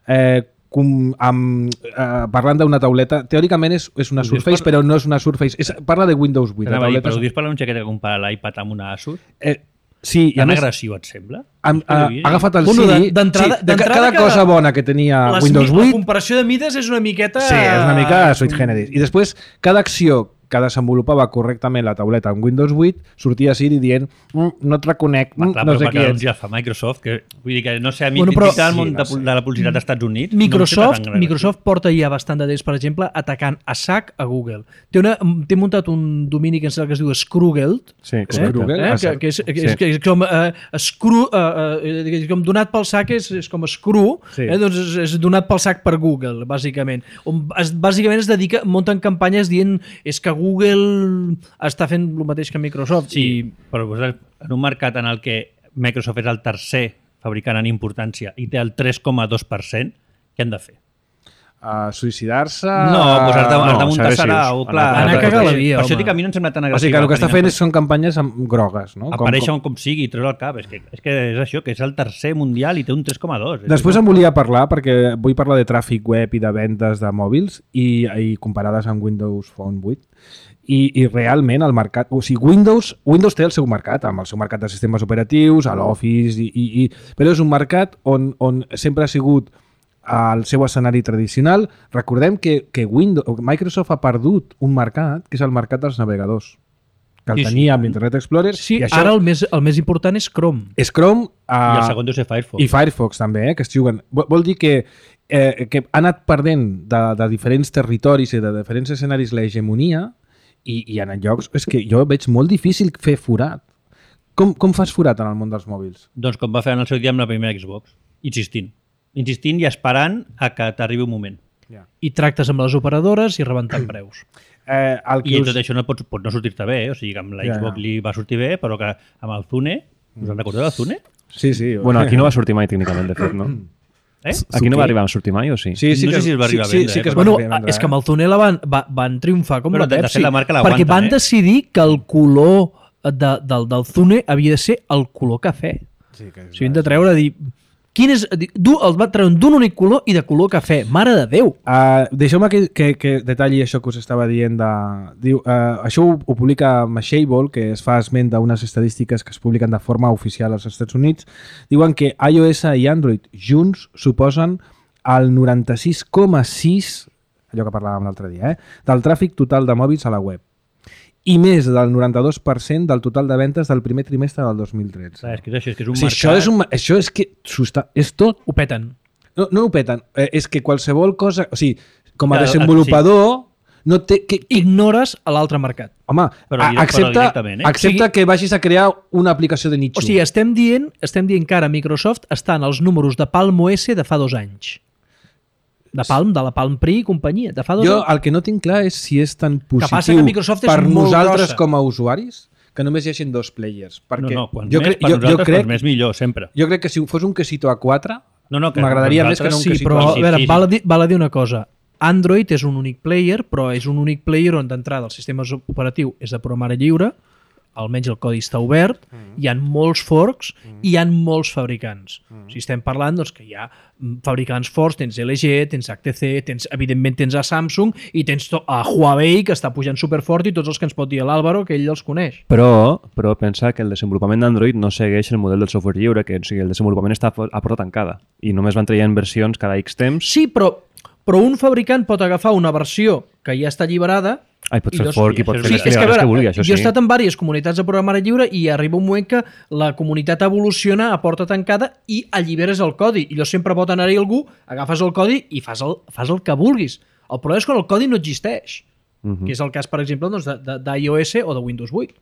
Speaker 1: eh, com, amb, eh, parlant d'una tauleta, teòricament és, és una
Speaker 4: Ho dius
Speaker 1: Surface,
Speaker 4: per-
Speaker 1: però no és una Surface, és, parla de Windows vuit.
Speaker 4: Anava a dir,
Speaker 1: tauleta
Speaker 4: però ho
Speaker 1: és-
Speaker 4: dius per un xiquet que compara l'iPad amb una Asus?
Speaker 1: eh, sí, i a
Speaker 4: Tan
Speaker 1: més,
Speaker 4: agressiu et sembla?
Speaker 1: ha, ha, ha agafat el
Speaker 2: Bueno,
Speaker 1: Siri,
Speaker 2: de- d'entrada-
Speaker 1: sí, de ca-
Speaker 2: d'entrada
Speaker 1: cada
Speaker 2: que
Speaker 1: cosa bona que tenia
Speaker 2: Les
Speaker 1: Windows
Speaker 2: mi-
Speaker 1: vuit,
Speaker 2: La comparació de mides és una miqueta...
Speaker 1: sí, és una mica sui generis. I després, cada acció que desenvolupava correctament la tauleta en Windows vuit, sortia Siri dient mm, no et reconec,
Speaker 4: Va,
Speaker 1: mm,
Speaker 4: clar,
Speaker 1: no
Speaker 4: però
Speaker 1: sé
Speaker 4: perquè
Speaker 1: qui
Speaker 4: doncs
Speaker 1: ets.
Speaker 4: ja fa Microsoft, que vull dir que no sé, a mi
Speaker 2: Bueno,
Speaker 4: bueno,
Speaker 2: però-
Speaker 4: del món
Speaker 1: Sí,
Speaker 4: de,
Speaker 1: no sé.
Speaker 4: de la publicitat dels Estats Units
Speaker 2: Microsoft,
Speaker 4: no em sembla tan
Speaker 2: Microsoft porta ja bastant de temps, per exemple, atacant a sac a Google. Té, una, té muntat un domini que em sembla que es diu Screwgeld,
Speaker 5: Sí,
Speaker 2: eh?
Speaker 5: correcte.
Speaker 1: Screwgeld,
Speaker 2: eh?
Speaker 1: ah,
Speaker 2: que, que, és, que, és,
Speaker 5: Sí.
Speaker 2: que és com eh, screw, eh, eh, com donat pel sac és, és com screw,
Speaker 1: Sí.
Speaker 2: eh? doncs és, és donat pel sac per Google, bàsicament. On es, bàsicament es dedica, munten campanyes dient és que Google està fent el mateix que Microsoft.
Speaker 4: Sí, però vosaltres, en un mercat en el que Microsoft és el tercer fabricant en importància i té el tres coma dos per cent, què han de fer?
Speaker 1: A suïcidar-se...
Speaker 4: No, doncs has de,
Speaker 5: no,
Speaker 4: has de muntar
Speaker 5: agressius.
Speaker 4: sarau, clar.
Speaker 2: Anar a cagar la via,
Speaker 4: Per això
Speaker 2: home.
Speaker 4: dic que a mi no em sembla tan
Speaker 1: O
Speaker 4: agressiu.
Speaker 1: sigui que el que està fent és, són campanyes amb grogues, no? Com-
Speaker 4: Aparèixer
Speaker 1: com-
Speaker 4: com, com sigui i treure el cap. És que, és que és això, que és el tercer mundial i té un tres coma dos.
Speaker 1: Després em volia parlar, perquè vull parlar de tràfic web i de vendes de mòbils i, i comparades amb Windows Phone vuit. I, i realment el mercat... O sigui, Windows, Windows té el seu mercat, amb el seu mercat de sistemes operatius, a l'Office, i, i, i, però és un mercat on, on sempre ha sigut el seu escenari tradicional. Recordem que, que Windows, Microsoft ha perdut un mercat, que és el mercat dels navegadors, que el
Speaker 4: Sí, sí.
Speaker 1: tenia amb Internet Explorer.
Speaker 2: Sí,
Speaker 1: i això
Speaker 2: ara el més, el més important és Chrome.
Speaker 1: és Chrome...
Speaker 4: I el
Speaker 1: Uh,
Speaker 4: segon deu ser Firefox.
Speaker 1: i Firefox també, eh, que es juguen. Vol, vol dir que, eh, que ha anat perdent de, de diferents territoris i de diferents escenaris l'hegemonia i, i en llocs... És que jo veig molt difícil fer forat. Com, com fas forat en el món dels mòbils?
Speaker 4: Doncs com va fer en el seu dia amb la primera Xbox. Insistint. Insistint i esperant a que t'arribi un moment.
Speaker 2: I tractes amb les operadores i rebentant preus.
Speaker 1: Eh, el que
Speaker 4: I
Speaker 1: us...
Speaker 4: tot això no pot, pot no sortir-te bé. O sigui, que amb la
Speaker 1: Ja,
Speaker 4: Xbox
Speaker 1: ja.
Speaker 4: li va sortir bé, però que amb el Zune... Us en recordeu del Zune?
Speaker 1: Sí, sí.
Speaker 5: Bueno, aquí no va sortir mai tècnicament, de fet, no?
Speaker 4: Eh?
Speaker 5: Aquí no va arribar a sortir mai, o sí?
Speaker 1: Sí, sí
Speaker 4: No
Speaker 1: que,
Speaker 4: sé si es va arribar a
Speaker 1: sí,
Speaker 4: vendre,
Speaker 1: sí, sí
Speaker 4: eh,
Speaker 1: que es
Speaker 4: però-
Speaker 1: va
Speaker 2: Bueno,
Speaker 1: arribar a vendre,
Speaker 2: és que
Speaker 1: eh?
Speaker 2: amb el Tunela van, va, van triomfar com
Speaker 4: Bueno,
Speaker 2: la
Speaker 4: de- de
Speaker 2: Pepsi.
Speaker 4: fet, la marca l'aguanten,
Speaker 2: perquè van
Speaker 4: eh?
Speaker 2: decidir que el color de, del, del Zune havia de ser el color cafè.
Speaker 1: Sí, que és
Speaker 2: O sigui, hem de treure, dir... Quin és, dir, du, el va treure d'un únic color i de color cafè. Mare de Déu!
Speaker 1: Uh, Deixeu-me que, que, que detalli això que us estava dient. De, diu, uh, això ho, ho publica Mashable, que es fa esment d'unes estadístiques que es publiquen de forma oficial als Estats Units. Diuen que iOS i Android junts suposen el noranta-sis coma sis, allò que parlàvem l'altre dia, eh, del tràfic total de mòbils a la web. I més del noranta-dos per cent del total de ventes del primer trimestre del dos mil tretze.
Speaker 4: Clar, és que és això, és que és un
Speaker 1: O sigui,
Speaker 4: mercat...
Speaker 1: això és, un, això és que s'ho està- és tot.
Speaker 2: Ho peten.
Speaker 1: No, no ho peten, eh, és que qualsevol cosa... O sigui, com a
Speaker 4: Claro,
Speaker 1: desenvolupador, no té... Que, que...
Speaker 2: Ignores a l'altre mercat.
Speaker 1: Home,
Speaker 4: Però
Speaker 1: a-
Speaker 4: direct- però
Speaker 1: accepta,
Speaker 4: directament, eh?
Speaker 1: accepta
Speaker 2: O sigui-
Speaker 1: que vagis a crear una aplicació de nicho.
Speaker 2: O sigui, estem dient, estem dient que ara Microsoft està en els números de Palm O S de fa dos anys. De Palm, de la Palm Pre i companyia, de fa dos
Speaker 1: Jo
Speaker 2: anys.
Speaker 1: el que no tinc clar és si és tan
Speaker 2: passa
Speaker 1: positiu
Speaker 2: que Microsoft és
Speaker 1: per
Speaker 2: molt
Speaker 1: nosaltres
Speaker 2: grossa.
Speaker 1: com a usuaris que només hi hagin dos players. Perquè
Speaker 4: No, no, quan
Speaker 1: jo,
Speaker 4: més,
Speaker 1: crec,
Speaker 4: per
Speaker 1: jo, jo,
Speaker 4: nosaltres,
Speaker 1: crec,
Speaker 4: quan més millor, sempre.
Speaker 1: jo crec que si fos un quesito a quatre
Speaker 4: No, no, que
Speaker 1: m'agradaria
Speaker 4: per
Speaker 1: més que no un
Speaker 4: nosaltres
Speaker 2: Sí,
Speaker 1: quesito
Speaker 2: però
Speaker 1: a
Speaker 2: a veure,
Speaker 4: sí, sí.
Speaker 2: val, a dir, val a dir una cosa. Android és un únic player, però és un únic player on d'entrada el sistema operatiu és de programari lliure, almenys el codi està obert, mm. hi ha molts forks mm. i hi ha molts fabricants. Mm. Si estem parlant doncs, que hi ha fabricants forts, tens L G, tens H T C, tens, evidentment tens a Samsung i tens to- a Huawei, que està pujant superfort, i tots els que ens pot dir l'Àlvaro, que ell els coneix.
Speaker 5: Però, però pensa que el desenvolupament d'Android no segueix el model del software lliure, que o sigui, el desenvolupament està a porta tancada i només van traient versions cada X temps.
Speaker 2: Sí, però, però un fabricant pot agafar una versió que ja està alliberada.
Speaker 5: Ai, pot
Speaker 2: I
Speaker 5: fer
Speaker 2: doncs-
Speaker 5: fork i pot
Speaker 4: sí,
Speaker 5: fer
Speaker 2: Sí,
Speaker 5: les
Speaker 2: és que, a
Speaker 5: que
Speaker 2: veure,
Speaker 5: vulgui, això
Speaker 2: jo
Speaker 5: sí.
Speaker 2: he estat en diverses comunitats de programari lliure i arriba un moment que la comunitat evoluciona a porta tancada i alliberes el codi. I allò sempre pot anar-hi algú, agafes el codi i fas el, fas el que vulguis. El problema és quan el codi no existeix,
Speaker 5: Mhm.
Speaker 2: que és el cas, per exemple, doncs, de- de- d'iOS o de Windows vuit.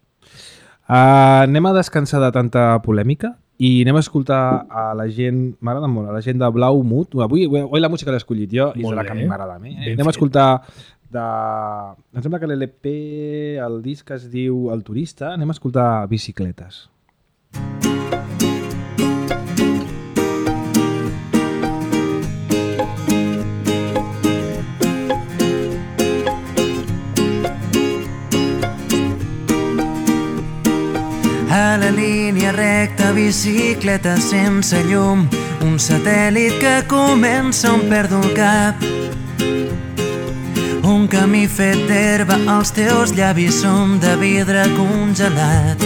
Speaker 1: Uh, anem a descansar de tanta polèmica i anem a escoltar a la gent, m'agrada molt, a la gent de Blau Mood. Avui, avui la música l'he escollit jo i és
Speaker 2: Molt
Speaker 1: la que a
Speaker 2: bé.
Speaker 1: mi m'agrada a mi. Eh?
Speaker 2: Ben
Speaker 1: Anem a
Speaker 2: fet.
Speaker 1: escoltar de... Em sembla que l'L P, el disc es diu El Turista, anem a escoltar Bicicletes.
Speaker 6: A la línia recta, bicicleta sense llum, un satèl·lit que comença on perdo el cap. Un camí fet d'herba, els teus llavis són de vidre congelat.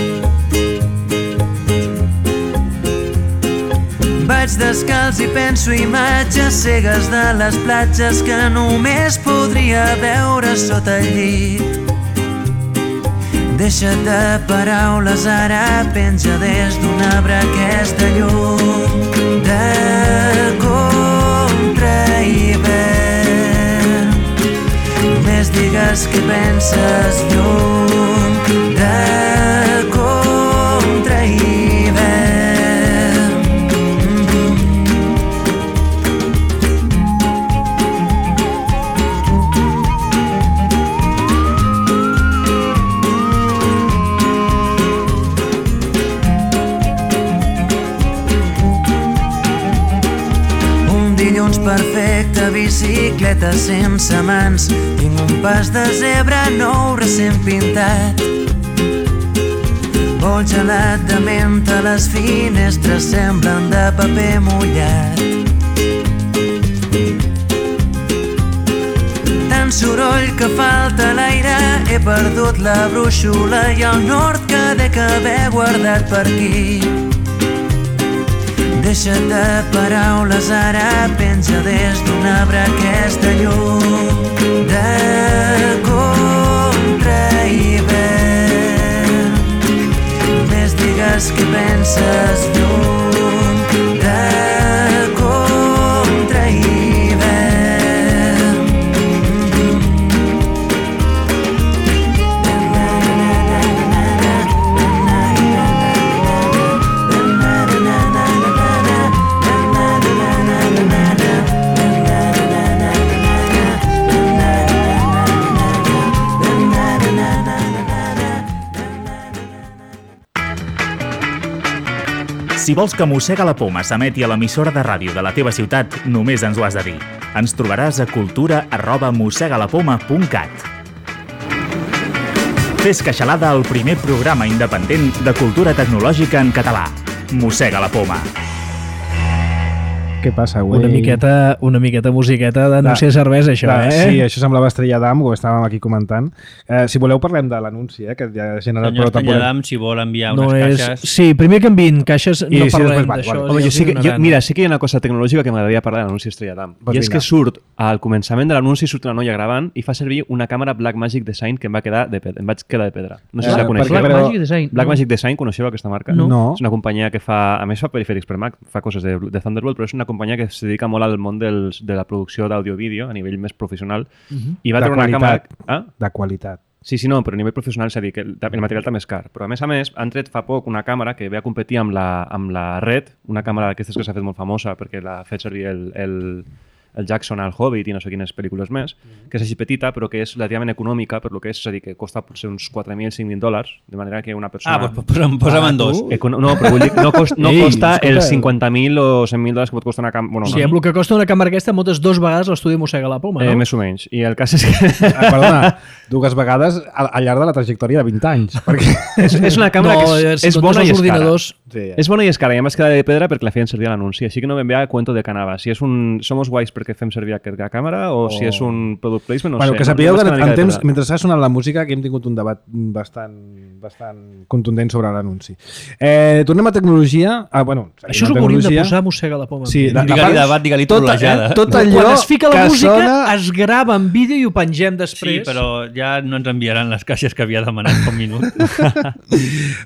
Speaker 6: Vaig descalç i penso imatges cegues de les platges que només podria veure sota el llit. Deixa't de paraules, ara penja des d'un arbre aquesta llum de contra hivern. Només digues què penses, llum de contra hivern. Dilluns perfecte, bicicleta sense mans. Tinc un pas de zebra nou recent pintat. Vol gelat de menta, les finestres semblen de paper mullat. Tant soroll que falta l'aire, he perdut la brúixola i el nord que dec haver guardat per aquí. Deixa't de paraules, ara penja des d'un arbre aquesta llum de contra hivern. Només digues què penses, llum de contra hivern.
Speaker 3: Si vols que Mossega la Poma s'emeti a l'emissora de ràdio de la teva ciutat, només ens ho has de dir. Ens trobaràs a cultura arroba mossegalapoma punt cat. Fes Queixalada, el primer programa independent de cultura tecnològica en català. Mossega la Poma.
Speaker 1: Què passa, güey?
Speaker 2: Una miqueta, una miqueta musiqueta d'anunci de cervesa, això,
Speaker 1: Clar,
Speaker 2: eh?
Speaker 1: Sí, això semblava Estrella d'Am, ho estàvem aquí comentant. Eh, si voleu parlem de l'anunci, eh, que ja ha generat
Speaker 4: Senyor
Speaker 1: prou polèmica.
Speaker 4: Estrelladam, si vol enviar
Speaker 2: No
Speaker 4: unes
Speaker 2: és...
Speaker 4: caixes...
Speaker 2: Sí, primer que enviïn caixes,
Speaker 1: I
Speaker 2: no
Speaker 1: si
Speaker 2: parlem
Speaker 1: després va,
Speaker 2: d'això.
Speaker 1: igual.
Speaker 5: Home,
Speaker 2: ja
Speaker 5: jo sí que,
Speaker 2: us
Speaker 5: jo,
Speaker 2: donaran.
Speaker 5: mira, sí que hi ha una cosa tecnològica que m'agradaria parlar de l'anunci Estrella d'Am.
Speaker 1: Pues
Speaker 5: I és
Speaker 1: vinga.
Speaker 5: que surt, al començament de l'anunci surt una noia gravant i fa servir una càmera Blackmagic Design que em va quedar de pedra. Em vaig quedar de pedra. No sé
Speaker 1: Eh,
Speaker 5: si la coneixeu.
Speaker 1: perquè,
Speaker 2: Black
Speaker 1: però-
Speaker 2: Magic Design.
Speaker 5: Blackmagic Design, coneixeu aquesta marca?
Speaker 2: No.
Speaker 1: No.
Speaker 5: És una companyia que fa, a més fa perifèrics per Mac, fa coses de, de Thunderbolt, però és una companyia que es dedica molt al món dels, de la producció d'àudio-vídeo a nivell més professional.
Speaker 2: Mhm.
Speaker 5: I va
Speaker 1: De
Speaker 5: treure una
Speaker 1: qualitat.
Speaker 5: càmera... Ah?
Speaker 1: De qualitat.
Speaker 5: Sí, sí, no, però a nivell professional s'ha dit que el, el material també és car. Però a més a més han tret fa poc una càmera que ve a competir amb la, amb la Red, una càmera d'aquestes que s'ha fet molt famosa perquè l'ha fet servir el, el, el Jackson al Hobbit i no sé quines pel·lícules més, que és així petita però que és relativament econòmica per lo que és, és a dir, que costa potser uns quatre mil, cinc mil dòlars, de manera que una persona...
Speaker 4: Ah, doncs posa'm, posa'm en dos.
Speaker 5: Econo no, però vull dir, no, cost, no
Speaker 2: Ei,
Speaker 5: costa
Speaker 2: escolta.
Speaker 5: els cinquanta mil o cent mil dòlars que pot costar una càmera... Bueno,
Speaker 2: O sigui, amb el que costa una càmera aquesta, moltes dos vegades l'estudi mossega la poma,
Speaker 5: eh,
Speaker 2: no?
Speaker 5: més o menys. I el cas és que...
Speaker 1: Ah, perdona, dues vegades al, al llarg de la trajectòria de vint anys. Perquè...
Speaker 5: és, és una càmera
Speaker 2: No,
Speaker 5: que és,
Speaker 2: si
Speaker 5: és
Speaker 2: comptes
Speaker 5: bona i
Speaker 2: els
Speaker 5: és cara.
Speaker 2: ordinadors...
Speaker 1: Sí, ja.
Speaker 5: És bona i és cara, i a més queda de pedra perquè la feien servir a l'anunci, així que no ben bé a cuento de canava. Si és un somos guais perquè fem servir aquesta càmera o, o si és un product placement, no
Speaker 1: bueno,
Speaker 5: sé.
Speaker 1: que sapigueu
Speaker 5: no,
Speaker 1: que
Speaker 5: no
Speaker 1: en temps, mentre està sonant la música, que hem tingut un debat bastant, bastant contundent sobre l'anunci. Eh, tornem a tecnologia. Ah, bueno,
Speaker 2: Això és el que hauríem de posar mossega la poma.
Speaker 1: Sí, la-
Speaker 4: Digue-li debat, digue-li
Speaker 1: tot,
Speaker 4: trolejada.
Speaker 1: eh, tot allò
Speaker 2: Quan es fica la
Speaker 1: que
Speaker 2: música,
Speaker 1: sona...
Speaker 2: es grava en vídeo i ho pengem
Speaker 4: Sí,
Speaker 2: després.
Speaker 4: però ja no ens enviaran les caixes que havia demanat fa un minut.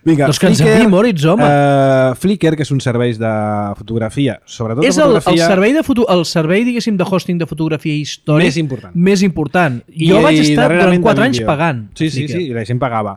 Speaker 1: Vinga,
Speaker 2: Doncs que ens
Speaker 1: Flickr,
Speaker 2: enviï Moritz, home.
Speaker 1: eh, Flickr, que és un servei de fotografia, sobretot
Speaker 2: És
Speaker 1: de
Speaker 2: el, el,
Speaker 1: fotografia...
Speaker 2: servei de foto, el servei, diguéssim, de hosting de fotografia històric
Speaker 1: Més important.
Speaker 2: més important.
Speaker 1: I,
Speaker 2: jo vaig estar durant
Speaker 1: darrerament
Speaker 2: quatre
Speaker 1: de
Speaker 2: anys
Speaker 1: vídeo.
Speaker 2: pagant.
Speaker 1: Sí, sí,
Speaker 2: Flickr.
Speaker 1: sí, i la gent pagava.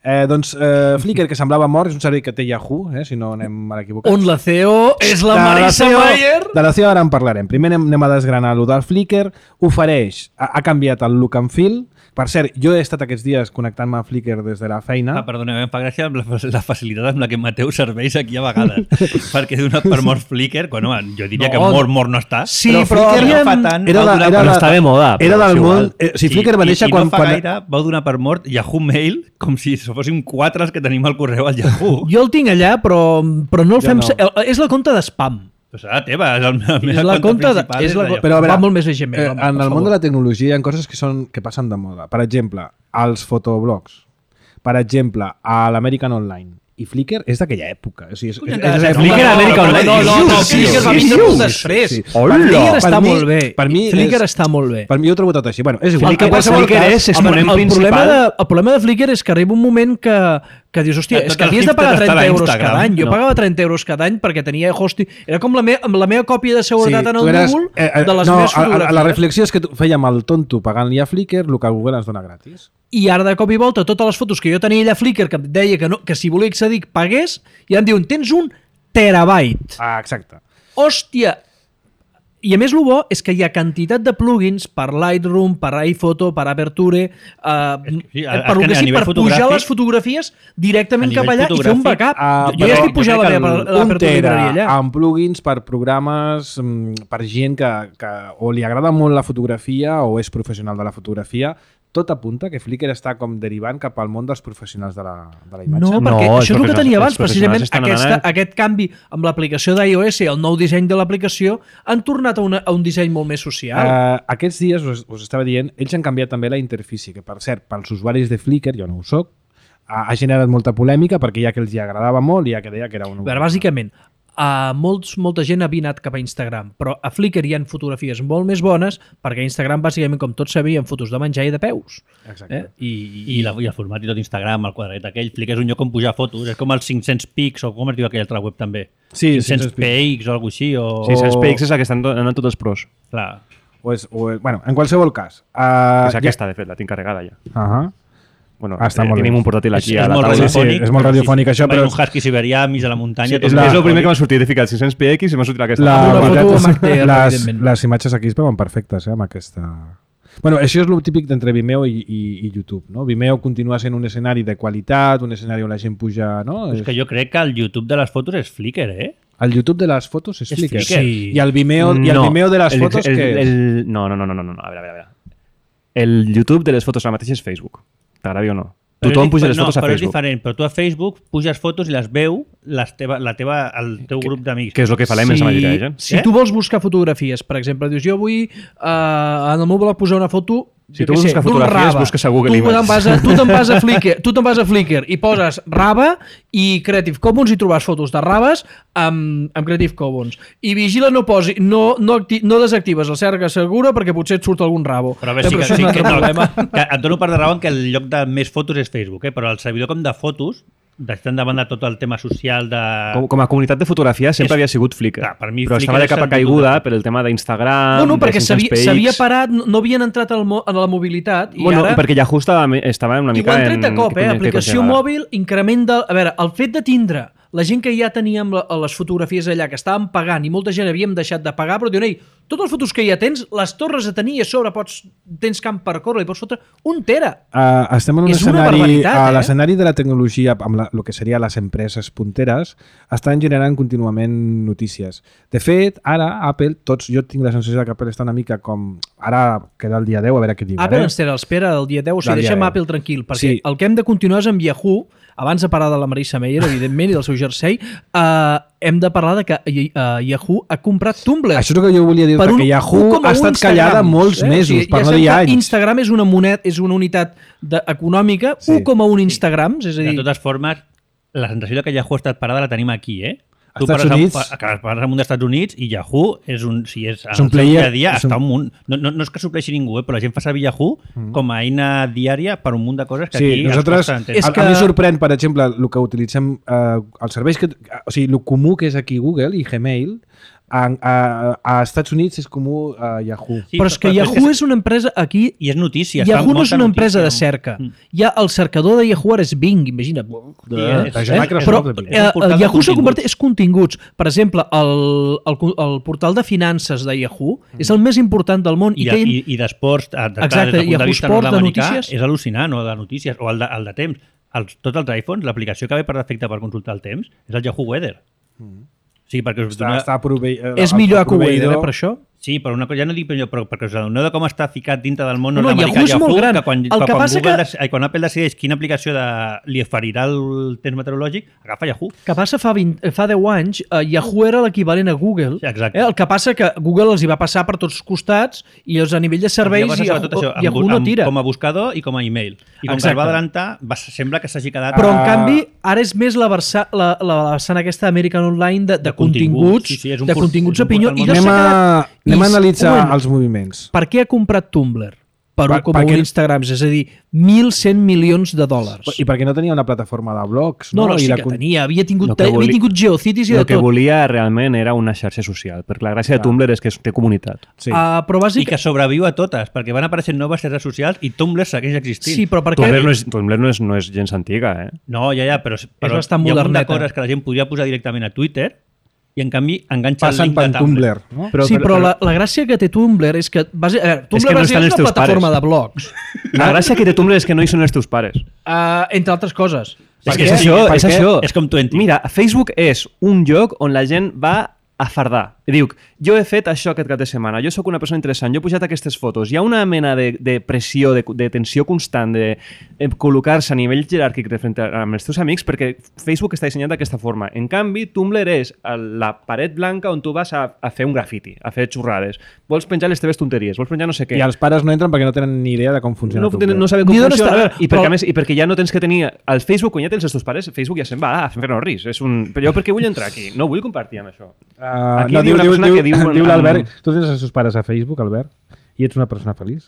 Speaker 1: Eh, doncs eh, Flickr, que semblava mort, és un servei que té Yahoo, eh, si no anem a l'equivocat.
Speaker 2: On la C E O és la
Speaker 1: De
Speaker 2: Marisa
Speaker 1: C E O
Speaker 2: Mayer.
Speaker 1: De la C E O ara en parlarem. Primer anem, anem a desgranar allò del Flickr. Ofereix, ha, ha canviat el look and feel. Per cert, jo he estat aquests dies connectant-me a Flickr des de la feina.
Speaker 4: Ah, perdoneu, em fa gràcia amb la, la facilitat amb la que mateu serveis aquí a vegades. Perquè d'una per mort Flickr, quan, home, jo diria
Speaker 2: No,
Speaker 4: que mort, mort no està.
Speaker 2: Sí,
Speaker 1: Però
Speaker 2: però,
Speaker 1: Flickr
Speaker 2: havíem...
Speaker 4: no fa tant.
Speaker 1: Era
Speaker 4: va
Speaker 1: la-
Speaker 4: donar
Speaker 1: era
Speaker 4: per-
Speaker 1: la-
Speaker 5: està de moda,
Speaker 1: Era
Speaker 5: però
Speaker 1: del
Speaker 5: és
Speaker 1: món...
Speaker 5: igual.
Speaker 1: Eh, si Flickr va
Speaker 4: I,
Speaker 1: néixer
Speaker 4: i,
Speaker 1: quan...
Speaker 4: I no fa
Speaker 1: quan...
Speaker 4: gaire vau donar per mort Yahoo Mail com si fóssim quatre els que tenim al correu al Yahoo.
Speaker 2: Jo el tinc allà, però, però no el
Speaker 1: Jo
Speaker 2: fem...
Speaker 1: no.
Speaker 2: No. És la compte d'espam.
Speaker 4: Pues serà teva, és el, la
Speaker 2: És
Speaker 4: meva
Speaker 2: la compte de...
Speaker 4: principal.
Speaker 2: És la,
Speaker 4: Yahoo.
Speaker 1: Però a veure,
Speaker 2: va molt més bé Gmail,
Speaker 1: Eh,
Speaker 2: home,
Speaker 1: en
Speaker 2: per
Speaker 1: el món
Speaker 2: favor.
Speaker 1: de la tecnologia hi ha coses que, són, que passen de moda. Per exemple, els fotoblogs. Per exemple, a l'American Online. I Flickr és d'aquella època. O sigui, és, és, és, és, és,
Speaker 5: Flickr
Speaker 1: és,
Speaker 5: Amèrica
Speaker 2: no,
Speaker 5: Online.
Speaker 2: no, no, no,
Speaker 1: Sí,
Speaker 2: Flickr va
Speaker 1: sí,
Speaker 2: vindre
Speaker 1: sí,
Speaker 2: molt
Speaker 1: sí,
Speaker 2: després.
Speaker 1: sí.
Speaker 2: Flickr
Speaker 1: Per
Speaker 2: està
Speaker 1: mi-
Speaker 2: molt bé.
Speaker 1: per mi
Speaker 2: Flickr
Speaker 1: és-
Speaker 2: està molt bé.
Speaker 1: per mi jo ho trobo tot així. Bueno, és igual.
Speaker 2: El que
Speaker 1: En
Speaker 2: passa
Speaker 1: qualsevol
Speaker 5: Flickr
Speaker 1: cas,
Speaker 5: és
Speaker 2: el,
Speaker 5: exponent
Speaker 2: el, problema
Speaker 5: principal.
Speaker 2: de, el problema de Flickr és que arriba un moment que, que dius, hòstia,
Speaker 4: Tot
Speaker 2: és que
Speaker 4: el
Speaker 2: havies de
Speaker 4: hipster
Speaker 2: pagar
Speaker 4: està
Speaker 2: trenta
Speaker 4: a
Speaker 2: euros
Speaker 4: Instagram.
Speaker 2: cada any. Jo
Speaker 5: No.
Speaker 2: pagava trenta euros cada any perquè tenia hosting. Era com la, me, amb la meva còpia de seguretat
Speaker 1: Sí,
Speaker 2: en
Speaker 1: tu
Speaker 2: el
Speaker 1: eres-
Speaker 2: Google
Speaker 1: eh, eh,
Speaker 2: de les
Speaker 1: no,
Speaker 2: meves
Speaker 1: a- a-
Speaker 2: fotografies.
Speaker 1: La reflexió és que tu fèiem el tonto pagant-li a Flickr el que Google ens dona gratis.
Speaker 2: I ara de cop i volta totes les fotos que jo tenia allà a Flickr que em deia que, no, que si volia accedir pagués, i em diuen, tens un terabyte.
Speaker 1: Ah, exacte.
Speaker 2: Hòstia! I a més el bo és que hi ha quantitat de plugins per Lightroom, per iPhoto, per Aperture, eh,
Speaker 4: sí, a-
Speaker 2: per,
Speaker 4: és que
Speaker 2: que
Speaker 4: a
Speaker 2: sí,
Speaker 4: nivell
Speaker 2: per pujar
Speaker 4: fotogràfic-
Speaker 2: les fotografies directament
Speaker 4: a
Speaker 2: cap
Speaker 4: nivell
Speaker 2: allà i fer un
Speaker 4: fotogràfic,
Speaker 2: backup.
Speaker 1: Ah,
Speaker 2: jo ja
Speaker 1: però
Speaker 2: estic pujant
Speaker 4: jo
Speaker 2: la
Speaker 4: crec
Speaker 2: meva
Speaker 4: que
Speaker 2: per
Speaker 1: Un
Speaker 2: l'Aperture
Speaker 1: tera
Speaker 2: Library allà.
Speaker 1: amb plugins per programes, mm, per gent que, que o li agrada molt la fotografia o és professional de la fotografia, tot apunta que Flickr està com derivant cap al món dels professionals de la, de la imatge.
Speaker 2: No, perquè
Speaker 5: No, els
Speaker 2: això és el que
Speaker 5: professionals-
Speaker 2: tenia abans,
Speaker 5: els professionals
Speaker 2: precisament
Speaker 5: estan
Speaker 2: aquesta,
Speaker 5: anant-
Speaker 2: aquest canvi amb l'aplicació d'iOS, el nou disseny de l'aplicació, han tornat a, una, a un disseny molt més social.
Speaker 1: Uh, aquests dies, us, us estava dient, ells han canviat també la interfície, que per cert, pels usuaris de Flickr, jo no ho soc, ha, ha generat molta polèmica perquè ja que els hi agradava molt i ja que deia que era un...
Speaker 2: A veure, bàsicament, a molts, molta gent havia anat cap a Instagram, però a Flickr hi ha fotografies molt més bones perquè a Instagram, bàsicament, com tots sabien, fotos de menjar i de peus.
Speaker 1: Exacte.
Speaker 2: Eh? I,
Speaker 4: I, la, I el format i tot Instagram, el quadret aquell, Flickr és un lloc on pujar fotos, és com els cinc-cents pics, o com es diu aquell altre web també.
Speaker 1: Sí,
Speaker 4: cinc-cents
Speaker 1: cinc-cents pics.
Speaker 4: pics o alguna així, o...
Speaker 5: Sí, els P X és la que estan do- anant tots els pros.
Speaker 4: Clar.
Speaker 1: O és, o és, bueno, en qualsevol cas. Uh,
Speaker 5: És aquesta, de fet, la tinc carregada ja.
Speaker 1: Uh -huh.
Speaker 5: Bueno,
Speaker 1: Ah, està
Speaker 5: eh,
Speaker 1: molt
Speaker 5: tenim
Speaker 1: bé.
Speaker 5: un portàtil aquí
Speaker 4: és,
Speaker 5: a
Speaker 4: és
Speaker 5: la
Speaker 4: molt
Speaker 5: taula.
Speaker 1: sí,
Speaker 4: radiofònic.
Speaker 1: és molt radiofònic, això, però-
Speaker 4: És un husky siberià enmig de la muntanya.
Speaker 5: Sí,
Speaker 4: tot
Speaker 5: és,
Speaker 1: la-
Speaker 5: és el primer que m'ha sortit. He ficat cinc-cents P X i m'ha sortit aquesta.
Speaker 1: La,
Speaker 2: Amb una
Speaker 1: veritat
Speaker 2: foto
Speaker 1: és-
Speaker 2: amb H D R,
Speaker 1: les,
Speaker 2: evidentment.
Speaker 1: les imatges aquí es veuen perfectes, eh, amb aquesta... Bueno, això és el típic d'entre Vimeo i, i, i YouTube, no? Vimeo continua sent un escenari de qualitat, un escenari on la gent puja, no?
Speaker 4: És que jo crec que el YouTube de les fotos és Flickr, eh?
Speaker 1: El YouTube de les fotos és,
Speaker 4: És
Speaker 1: Flickr.
Speaker 4: Flickr.
Speaker 2: Sí.
Speaker 1: I el Vimeo, i el Vimeo de les
Speaker 5: el,
Speaker 1: fotos,
Speaker 5: el,
Speaker 1: què és?
Speaker 5: el, no, no, no, no, no, no, a veure, a veure. a veure. El YouTube de les fotos ara mateix és Facebook. T'agradi o no?
Speaker 4: Però
Speaker 5: Tothom
Speaker 4: és
Speaker 5: puja
Speaker 4: dif-
Speaker 5: les
Speaker 4: no,
Speaker 5: fotos a
Speaker 4: però és
Speaker 5: Facebook.
Speaker 4: diferent, però tu a Facebook puges fotos i les veu les teva, la teva, el teu grup d'amics.
Speaker 5: Que és el que fa l'Emens a Madrid, eh?
Speaker 2: si
Speaker 4: Eh?
Speaker 2: tu vols buscar fotografies, per exemple, dius, jo vull uh, en el meu blog posar una foto
Speaker 5: Si
Speaker 2: jo
Speaker 5: tu
Speaker 2: què
Speaker 5: vols
Speaker 2: sé,
Speaker 5: buscar
Speaker 2: d'un
Speaker 5: fotografies,
Speaker 2: rave.
Speaker 5: busques a Google
Speaker 2: tu te'n
Speaker 5: Images.
Speaker 2: vas a, tu te'n vas a Flickr, tu te'n vas a Flickr i poses rave i Creative Commons i trobes fotos de raves amb, amb Creative Commons. I vigila, no posi, no, no, acti, no desactives el cerca segura perquè potser et surt algun rabo.
Speaker 4: Però a veure, sí que,
Speaker 2: això és
Speaker 4: sí
Speaker 2: un
Speaker 4: que,
Speaker 2: altre
Speaker 4: no,
Speaker 2: problema.
Speaker 4: que et dono part de raó en que el lloc de més fotos és Facebook, eh? Però el servidor com de fotos deixant de banda tot el tema social de...
Speaker 5: Com, com a comunitat de fotografia sempre
Speaker 4: És-
Speaker 5: havia sigut Flickr,
Speaker 4: Clar, per mi
Speaker 5: però
Speaker 4: Flickr
Speaker 5: estava de
Speaker 4: és
Speaker 5: capa
Speaker 4: el
Speaker 5: caiguda
Speaker 4: puto-
Speaker 5: per el tema d'Instagram,
Speaker 2: No, no, perquè
Speaker 5: de cinc cents
Speaker 2: s'havia s'havia
Speaker 5: P X.
Speaker 2: parat, no no havien entrat al mo, a la mobilitat i
Speaker 5: Bueno,
Speaker 2: ara...
Speaker 5: perquè Yahoo estava, estava una
Speaker 2: I ho
Speaker 5: mica
Speaker 2: han tret de
Speaker 5: en...
Speaker 2: cop,
Speaker 5: què
Speaker 2: eh?
Speaker 5: conya- què
Speaker 2: Aplicació
Speaker 5: conya va?
Speaker 2: mòbil, increment de... A veure, el fet de tindre la gent que ja teníem la- les fotografies allà, que estàvem pagant i molta gent havíem deixat de pagar, però diuen, ei, totes les fotos que ja tens, les torres a tenir i a sobre pots, tens camp per córrer, i pots fotre un tera.
Speaker 1: Uh, estem en un
Speaker 2: És una
Speaker 1: escenari,
Speaker 2: barbaritat,
Speaker 1: a
Speaker 2: eh?
Speaker 1: l'escenari de la tecnologia, amb la, el que seria les empreses punteres, estan generant contínuament notícies. De fet, ara Apple, tots, jo tinc la sensació que Apple està una mica com... Ara queda el dia deu, a veure què diuen.
Speaker 2: Apple
Speaker 1: eh?
Speaker 2: ens té l'espera del dia deu, o sigui,
Speaker 1: Del dia
Speaker 2: deixem
Speaker 1: deu.
Speaker 2: Apple tranquil, perquè
Speaker 1: Sí.
Speaker 2: el que hem de continuar és amb Yahoo, abans de parlar de la Marissa Meyer, evidentment, i del seu jersei, uh, hem de parlar de que uh, Yahoo ha comprat Tumblr.
Speaker 1: Això és el que jo volia dir,
Speaker 2: Per un
Speaker 1: perquè Yahoo
Speaker 2: u coma u
Speaker 1: ha estat callada
Speaker 2: Instagrams,
Speaker 1: molts
Speaker 2: eh?
Speaker 1: mesos,
Speaker 2: O sigui,
Speaker 1: per
Speaker 2: ja
Speaker 1: no
Speaker 2: sabem
Speaker 1: dir
Speaker 2: que
Speaker 1: anys.
Speaker 2: Instagram és una, monet, és una unitat de, econòmica,
Speaker 1: Sí.
Speaker 2: u coma un Instagrams, és a
Speaker 4: De
Speaker 2: dir...
Speaker 4: totes formes, la sensació de que Yahoo ha estat parada la tenim aquí, eh? Tu
Speaker 1: Estats
Speaker 4: parles
Speaker 1: Units-
Speaker 4: Amb, que parles amb un dels Estats Units i Yahoo és un... Si és,
Speaker 1: És un
Speaker 4: el seu
Speaker 1: player-
Speaker 4: dia a dia
Speaker 1: és un-
Speaker 4: està un munt... No, no, no és que supleixi ningú, eh? Però la gent fa servir Yahoo mm. com a eina diària per un munt de coses que
Speaker 1: Sí,
Speaker 4: aquí
Speaker 1: nosaltres,
Speaker 4: ens costa entendre.
Speaker 2: És
Speaker 1: a,
Speaker 2: que-
Speaker 1: a mi sorprèn, per exemple, el que utilitzem, eh, els serveis que... O sigui, el comú que és aquí Google i Gmail, a, a, a Estats Units és comú a Yahoo.
Speaker 4: Sí,
Speaker 2: però és que Yahoo és una empresa aquí...
Speaker 4: I és notícia. es fa
Speaker 2: Yahoo no és
Speaker 4: molta
Speaker 2: una empresa de
Speaker 4: notícia.
Speaker 2: cerca.
Speaker 4: Mm.
Speaker 2: Ja el cercador de Yahoo ara és Bing, imagina't.
Speaker 4: Sí,
Speaker 1: de
Speaker 4: és-
Speaker 1: Microsoft,
Speaker 2: Però
Speaker 1: de
Speaker 2: eh,
Speaker 1: Bing.
Speaker 4: És un portal de
Speaker 2: Yahoo s'ha
Speaker 4: continguts.
Speaker 2: convertit és continguts. Per exemple, el, el, el portal de finances de Yahoo és el més important del món.
Speaker 4: I,
Speaker 2: I,
Speaker 4: de,
Speaker 2: que ell,
Speaker 4: i, i d'esports, eh, de,
Speaker 2: Exacte,
Speaker 4: des del punt
Speaker 2: Yahoo
Speaker 4: de vista
Speaker 2: Sport, de
Speaker 4: nord-americà,
Speaker 2: notícies.
Speaker 4: és al·lucinant, o de notícies, o el de, el de temps. Els, tots els iPhones, l'aplicació que ve per defecte per consultar el temps és el Yahoo Weather. Sí, perquè us
Speaker 1: Està,
Speaker 4: dona...
Speaker 1: està prove... eh,
Speaker 2: és
Speaker 1: el-
Speaker 2: millor
Speaker 1: el
Speaker 2: a Kuwait,
Speaker 1: proveïdor-
Speaker 2: eh, per això.
Speaker 4: Sí, però una cosa, ja no dic però, però us adoneu de com està ficat dintre del món
Speaker 2: No, no,
Speaker 4: nord-americà
Speaker 2: Yahoo és molt gran.
Speaker 4: que quan,
Speaker 2: El
Speaker 4: que
Speaker 2: que
Speaker 4: quan,
Speaker 2: passa
Speaker 4: Google
Speaker 2: que-
Speaker 4: dec- ai, quan Apple decideix quina aplicació de, li oferirà el temps meteorològic, agafa Yahoo.
Speaker 2: Que passa fa, vint, fa deu anys, eh, Yahoo era l'equivalent a Google.
Speaker 4: Sí, exacte.
Speaker 2: Eh, el que passa que Google els hi va passar per tots costats i els a nivell de serveis
Speaker 4: Llavors,
Speaker 2: Yahoo,
Speaker 4: sobretot això, amb,
Speaker 2: Yahoo no
Speaker 4: amb,
Speaker 2: tira.
Speaker 4: com a buscador i com a email. I com
Speaker 2: Exacte.
Speaker 4: que es va adelantar, va, sembla que s'hagi quedat...
Speaker 2: Però, en
Speaker 1: Ah.
Speaker 2: canvi, ara és més la, versa, la, la vessant aquesta American Online de, de,
Speaker 4: De continguts.
Speaker 2: continguts,
Speaker 4: Sí, sí, és un
Speaker 2: de
Speaker 4: port-
Speaker 2: continguts
Speaker 4: és un
Speaker 2: opinió.
Speaker 4: portal
Speaker 2: I
Speaker 4: molt-
Speaker 2: no
Speaker 1: Anem
Speaker 2: s'ha
Speaker 1: a,
Speaker 2: quedat...
Speaker 1: anem a
Speaker 2: I-
Speaker 1: analitzar
Speaker 2: un moment.
Speaker 1: els moviments.
Speaker 2: Per què ha comprat Tumblr? Per
Speaker 1: Per-
Speaker 2: un coma un
Speaker 1: perquè-
Speaker 2: Instagrams, és a dir, mil cent milions de dòlars.
Speaker 1: I perquè no tenia una plataforma de blogs,
Speaker 2: No,
Speaker 1: no?
Speaker 2: no, sí
Speaker 1: I la
Speaker 2: que
Speaker 1: con-
Speaker 2: tenia. Havia tingut,
Speaker 5: Lo que
Speaker 2: havia
Speaker 5: volia-
Speaker 2: tingut Geocities i de
Speaker 5: El que
Speaker 2: tot.
Speaker 5: volia realment era una xarxa social, perquè la gràcia de Tumblr és que té comunitat.
Speaker 1: Sí.
Speaker 2: Uh, però
Speaker 4: I
Speaker 2: bàsic...
Speaker 4: que sobreviu a totes, perquè van apareixent noves xarxes socials i Tumblr segueix existint.
Speaker 2: Sí, però per què...
Speaker 5: Tumblr no és, Tumblr no és, no és gens antiga, eh?
Speaker 4: No, ja, ja, però, però
Speaker 2: bastant
Speaker 4: hi ha un munt de
Speaker 2: moderneta.
Speaker 4: coses que la gent podria posar directament a Twitter i en canvi enganxa el
Speaker 1: Passen
Speaker 4: link
Speaker 1: per
Speaker 4: de Tumblr.
Speaker 1: Tumblr. No?
Speaker 2: Però, sí, però, la, la gràcia que té Tumblr és que... Base, a veure, Tumblr
Speaker 5: que no
Speaker 2: base
Speaker 5: estan
Speaker 2: és
Speaker 5: els
Speaker 2: una
Speaker 5: teus
Speaker 2: plataforma
Speaker 5: pares.
Speaker 2: de blogs,
Speaker 5: La gràcia que té Tumblr és que no hi són els teus pares.
Speaker 2: uh, entre altres coses.
Speaker 5: És
Speaker 4: Per
Speaker 5: que
Speaker 4: què?
Speaker 5: és això,
Speaker 4: Per
Speaker 5: és
Speaker 4: què?
Speaker 5: això.
Speaker 4: És com Twenty.
Speaker 5: Mira, Facebook és un lloc on la gent va a fardar. I diu, jo he fet això aquest cap de setmana, jo sóc una persona interessant, jo he pujat aquestes fotos. Hi ha una mena de, de pressió, de, de tensió constant, de, de col·locar-se a nivell jeràrquic de frente a, amb els teus amics perquè Facebook està dissenyat d'aquesta forma. En canvi, Tumblr és el- la paret blanca on tu vas a, a fer un grafiti, a fer xurrades. Vols penjar les teves tonteries, vols penjar no sé què.
Speaker 1: I els pares no entren perquè no tenen ni idea de com funciona
Speaker 5: no,
Speaker 1: Tumblr.
Speaker 5: no saben com
Speaker 2: Ni d'on
Speaker 5: funciona.
Speaker 2: està, a veure,
Speaker 5: I, perquè,
Speaker 2: però-
Speaker 5: a més, I perquè ja no tens que tenir... El Facebook, quan ja tens els teus pares, Facebook ja se'n va a fer-nos ris. És un... Però jo per què vull entrar aquí? No vull compartir amb això.
Speaker 1: Uh,
Speaker 5: Aquí
Speaker 1: no,
Speaker 5: hi ha
Speaker 1: diu,
Speaker 5: una
Speaker 1: diu,
Speaker 5: persona
Speaker 1: diu,
Speaker 5: que diu-
Speaker 1: diu l'Albert, tu tens els seus pares a Facebook, Albert, i ets una persona feliç?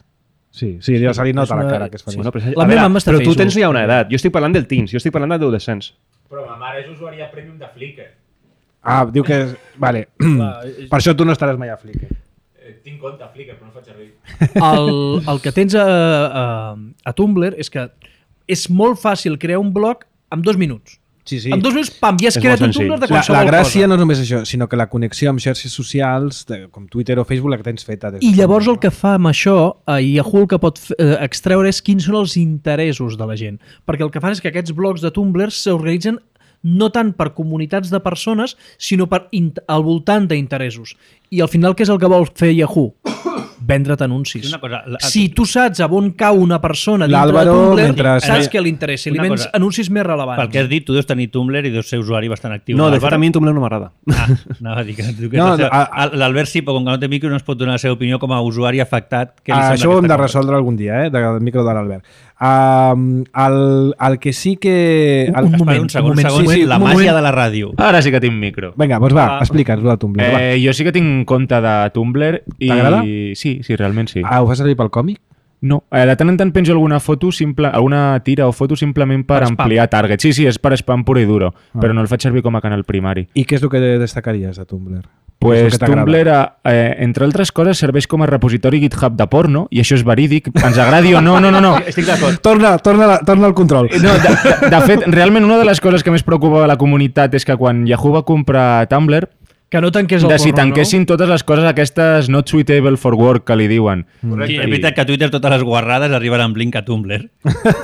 Speaker 1: Sí, sí, ja se li nota
Speaker 2: és
Speaker 1: la
Speaker 2: una-
Speaker 1: cara que és feliç.
Speaker 5: Bueno, però,
Speaker 2: La
Speaker 5: a
Speaker 2: meva
Speaker 5: veure,
Speaker 2: mama està a
Speaker 5: però tu
Speaker 2: Facebook.
Speaker 5: tens ja una edat. Jo estic parlant del teens, jo estic parlant d'adolescents.
Speaker 7: Però ma mare és usuària premium de Flickr.
Speaker 1: Ah, diu que... És... Vale. Per això tu no estaràs mai a Flickr.
Speaker 7: Eh, tinc compte a Flickr, però no faig servir.
Speaker 2: El, el que tens a, a, a Tumblr és que és molt fàcil crear un blog en dos minuts.
Speaker 1: Sí, sí.
Speaker 2: En dos minuts, pam, ja has
Speaker 5: És
Speaker 2: creat
Speaker 5: molt
Speaker 2: un
Speaker 5: senzill.
Speaker 2: Tumblr de
Speaker 1: La,
Speaker 2: qualsevol
Speaker 1: la gràcia
Speaker 2: cosa.
Speaker 1: no és només això, sinó que la connexió amb xarxes socials, de, com Twitter o Facebook, la que tens feta. Des
Speaker 2: I llavors el que fa amb això, eh, Yahoo el que pot f- eh, extreure és quins són els interessos de la gent. Perquè el que fan és que aquests blogs de Tumblr s'organitzen no tant per comunitats de persones, sinó per int- al voltant d'interessos. I al final, què és el que vol fer Yahoo? Vendre't anuncis.
Speaker 4: Una cosa, la-
Speaker 2: si tu saps a on cau una persona dintre de
Speaker 1: L'Àlvaro,
Speaker 2: Tumblr,
Speaker 1: mentre-
Speaker 2: saps
Speaker 1: Eh,
Speaker 2: què li interessa. Li
Speaker 4: una
Speaker 2: vens
Speaker 4: cosa.
Speaker 2: anuncis més relevants.
Speaker 4: Pel que has dit, tu deus tenir Tumblr i deus ser usuari bastant actiu.
Speaker 5: No, de fet
Speaker 4: L'Àlvaro-
Speaker 5: a mi Tumblr no m'agrada.
Speaker 4: Ah, anava a dir que, que
Speaker 1: No,
Speaker 4: no, seu,
Speaker 1: a-
Speaker 4: a, L'Albert sí, però com que no té micro no es pot donar la seva opinió com a usuari afectat. Que li
Speaker 1: Ah,
Speaker 4: sembla
Speaker 1: això ho hem
Speaker 4: aquesta
Speaker 1: de
Speaker 4: cosa.
Speaker 1: resoldre algun dia, eh, del micro de l'Albert. Um, el, el que sí que... El,
Speaker 2: Un moment,
Speaker 4: Espera un segon,
Speaker 2: un moment,
Speaker 4: un segon,
Speaker 1: sí, sí,
Speaker 4: la
Speaker 1: un
Speaker 4: màgia
Speaker 1: moment.
Speaker 4: de la ràdio.
Speaker 8: Ara sí que tinc micro.
Speaker 1: Vinga, doncs va,
Speaker 8: Ah.
Speaker 1: explica'ns el Tumblr. Eh,
Speaker 8: Eh, jo sí que tinc compte de Tumblr i...
Speaker 1: T'agrada?
Speaker 8: Sí, sí, realment sí.
Speaker 1: ah, ho fas servir pel còmic?
Speaker 8: No, eh, de tant en tant penjo alguna foto, simple, alguna tira o foto simplement per,
Speaker 2: Per spam.
Speaker 8: ampliar target. Sí, sí, és per spam pur i duro,
Speaker 1: Ah.
Speaker 8: però no el faig servir com a canal primari.
Speaker 1: I què és el que destacaries de Tumblr?
Speaker 8: Pues
Speaker 1: Què és el que t'agrada?
Speaker 8: Tumblr, eh, entre altres coses, serveix com a repositori GitHub de porno, i això és verídic, ens agradi o no, no, no, no.
Speaker 4: Estic d'acord.
Speaker 1: Torna, torna, torna al control.
Speaker 8: No, de, de, de fet, realment una de les coses que més preocupa a la comunitat és que quan Yahoo va comprar Tumblr,
Speaker 2: Que no tanqués el
Speaker 8: de si
Speaker 2: porno,
Speaker 8: tanquessin totes les coses aquestes not suitable for work que li diuen.
Speaker 4: Sí, és veritat que a Twitter totes les guarrades arriben amb link a Tumblr.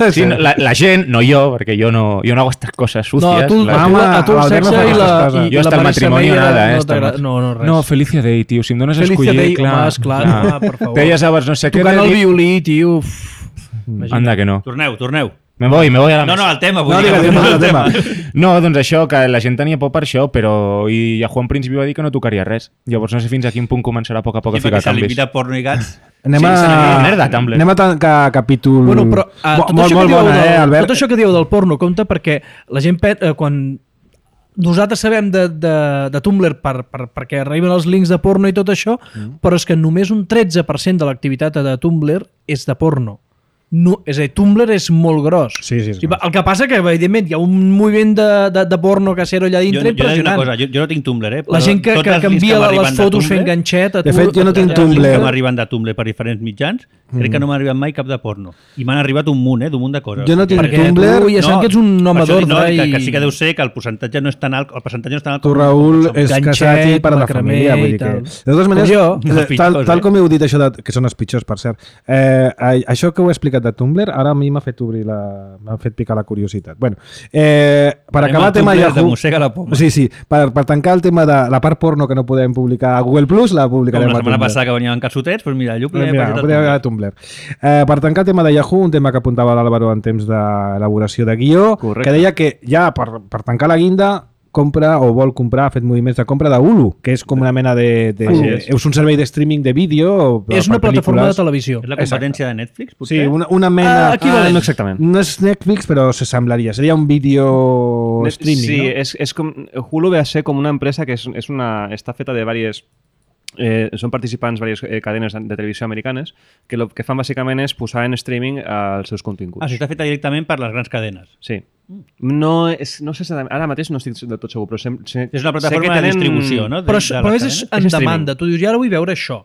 Speaker 8: Sí, la, la gent, no jo, perquè jo no, jo no hago estas cosas
Speaker 2: No,
Speaker 8: sucias.
Speaker 2: a tu,
Speaker 8: la
Speaker 2: a tu,
Speaker 1: Home,
Speaker 2: a tu el
Speaker 1: l'Albert no
Speaker 2: sexe
Speaker 1: fa
Speaker 2: i la,
Speaker 1: aquestes coses.
Speaker 2: i,
Speaker 8: Jo
Speaker 2: i
Speaker 8: hasta
Speaker 2: la
Speaker 8: el
Speaker 2: Marisa
Speaker 8: matrimoni
Speaker 2: Meyer
Speaker 8: nada, eh,
Speaker 2: no,
Speaker 8: esta
Speaker 2: t'agrada-
Speaker 8: noche.
Speaker 2: no, no, res.
Speaker 8: No, Felicia Day, tio, si em dones a
Speaker 2: Felicia
Speaker 8: escollir,
Speaker 2: Day,
Speaker 8: clar.
Speaker 2: home, esclar,
Speaker 8: clar.
Speaker 2: home, per favor.
Speaker 8: Deia sabes, no sé què...
Speaker 2: Tocant
Speaker 8: de
Speaker 2: el
Speaker 8: dir-
Speaker 2: violí, tio. Uf.
Speaker 8: Anda que no.
Speaker 4: Torneu, torneu.
Speaker 8: Me voy, me voy a la
Speaker 4: No,
Speaker 8: mesa.
Speaker 4: no, el tema. Vull
Speaker 1: No,
Speaker 4: dir que
Speaker 1: digue'm,
Speaker 4: tornem
Speaker 1: el
Speaker 4: al
Speaker 1: tema.
Speaker 8: No, doncs això, que la gent tenia por per això, però i Yahoo en principi va dir que no tocaria res. Llavors no sé fins a quin punt començarà a poc a poc a
Speaker 4: Sí,
Speaker 8: ficar
Speaker 4: perquè se
Speaker 8: canvis.
Speaker 4: limita porno i gats.
Speaker 1: Anem
Speaker 8: Sí,
Speaker 1: a...
Speaker 8: se n'anirà merda, Tumblr.
Speaker 1: Anem a tancar capítol...
Speaker 2: Bueno, però uh,
Speaker 1: Mo-
Speaker 2: tot,
Speaker 1: molt,
Speaker 2: això
Speaker 1: molt
Speaker 2: que dieu
Speaker 1: bona,
Speaker 2: del,
Speaker 1: eh, Albert?
Speaker 2: tot això que dieu del porno compta perquè la gent, pe- eh, quan nosaltres sabem de, de, de Tumblr per, per, perquè arriben els links de porno i tot això, mm. però és que només un tretze per cent de l'activitat de Tumblr és de porno. No, és a dir, Tumblr és molt gros.
Speaker 1: Sí, sí, és
Speaker 2: I
Speaker 1: gros.
Speaker 2: el que passa que, evidentment, hi ha un moviment de, de, de porno casero allà
Speaker 4: Jo,
Speaker 2: dintre
Speaker 4: jo, he de dir una
Speaker 2: impressionant.
Speaker 4: cosa, jo, jo no tinc Tumblr, eh?
Speaker 2: La gent que,
Speaker 4: Tots
Speaker 2: que,
Speaker 4: els
Speaker 2: que
Speaker 4: links
Speaker 2: envia
Speaker 4: m'arriben
Speaker 2: les
Speaker 4: de
Speaker 2: fotos
Speaker 4: Tumblr,
Speaker 2: fent ganxet... A
Speaker 1: De
Speaker 2: tu,
Speaker 1: fet, jo no
Speaker 2: a-
Speaker 1: tinc
Speaker 2: a-
Speaker 1: Tumblr.
Speaker 4: que m'arriben de Tumblr per diferents mitjans, crec que no m'ha arribat mai cap de porno. I m'han arribat un munt, eh? d'un munt de coses.
Speaker 1: Jo no tinc
Speaker 2: Perquè
Speaker 1: Tumblr.
Speaker 2: tu ja sabem que ets un home
Speaker 4: per això dic,
Speaker 2: d'ordre
Speaker 4: no, que,
Speaker 2: i-
Speaker 4: que sí que deu ser que el percentatge no és tan alt, el percentatge no és tan alt
Speaker 1: Tu,
Speaker 4: com-
Speaker 1: Raül,
Speaker 4: com
Speaker 1: és
Speaker 2: Ganxet,
Speaker 1: casat i pare de
Speaker 2: macramé
Speaker 1: família. Vull
Speaker 2: i
Speaker 1: dir que...
Speaker 2: tal.
Speaker 1: De totes maneres,
Speaker 2: Com jo.
Speaker 1: eh,
Speaker 4: Els
Speaker 1: tal,
Speaker 4: pitjors,
Speaker 1: tal
Speaker 4: eh?
Speaker 1: com heu dit això, de, que són els pitjors, per cert, eh, a- això que heu explicat de Tumblr, ara a mi m'ha fet obrir la... m'ha fet picar la curiositat. Bueno, eh, per
Speaker 4: Anem
Speaker 1: acabar
Speaker 4: al
Speaker 1: el tema
Speaker 4: Tumblr de
Speaker 1: Yahoo...
Speaker 4: mossega la poma.
Speaker 1: Sí, sí, per, per tancar el tema de la part porno que no podem publicar a Google Plus, la
Speaker 4: Com
Speaker 1: publicarem
Speaker 4: la
Speaker 1: a
Speaker 4: setmana
Speaker 1: Tumblr.
Speaker 4: passada que venien calçotets, doncs mira, jo
Speaker 1: Mira,
Speaker 4: podria
Speaker 1: ho podem a Tumblr. Eh, per tancar el tema de Yahoo, un tema que apuntava l'Àlvaro en temps d'elaboració de guió,
Speaker 5: Correcte.
Speaker 1: que deia que ja per, per tancar la guinda compra o vol comprar, ha fet moviments de compra de Hulu, que és com una mena de... de
Speaker 5: Així és.
Speaker 1: és un servei de streaming de vídeo.
Speaker 2: És
Speaker 1: per
Speaker 2: una plataforma de
Speaker 1: pel·lícules.
Speaker 2: televisió.
Speaker 4: És la competència de Netflix,
Speaker 1: Sí,
Speaker 4: potser?
Speaker 1: una, una mena...
Speaker 2: Ah, equivalent.
Speaker 5: Ah, no exactament.
Speaker 1: No és Netflix, però s'assemblaria. Seria un vídeo streaming,
Speaker 5: sí,
Speaker 1: no?
Speaker 5: és, és com, Hulu ve a ser com una empresa que és, és una, està feta de diverses... Eh, són participants diverses eh, cadenes de televisió americanes que el que fan bàsicament és posar en streaming els seus continguts.
Speaker 4: Ah, això està feta directament per les grans cadenes.
Speaker 5: Sí. No, és, no sé si ara mateix no estic del tot segur, però sé, sé,
Speaker 4: És una
Speaker 5: sé
Speaker 4: plataforma
Speaker 5: que
Speaker 4: de distribució, no? De-
Speaker 2: Però,
Speaker 4: de
Speaker 2: això-
Speaker 4: les
Speaker 2: però és,
Speaker 4: cadenes.
Speaker 2: en
Speaker 5: És streaming.
Speaker 2: demanda. Tu dius, i ara vull veure això.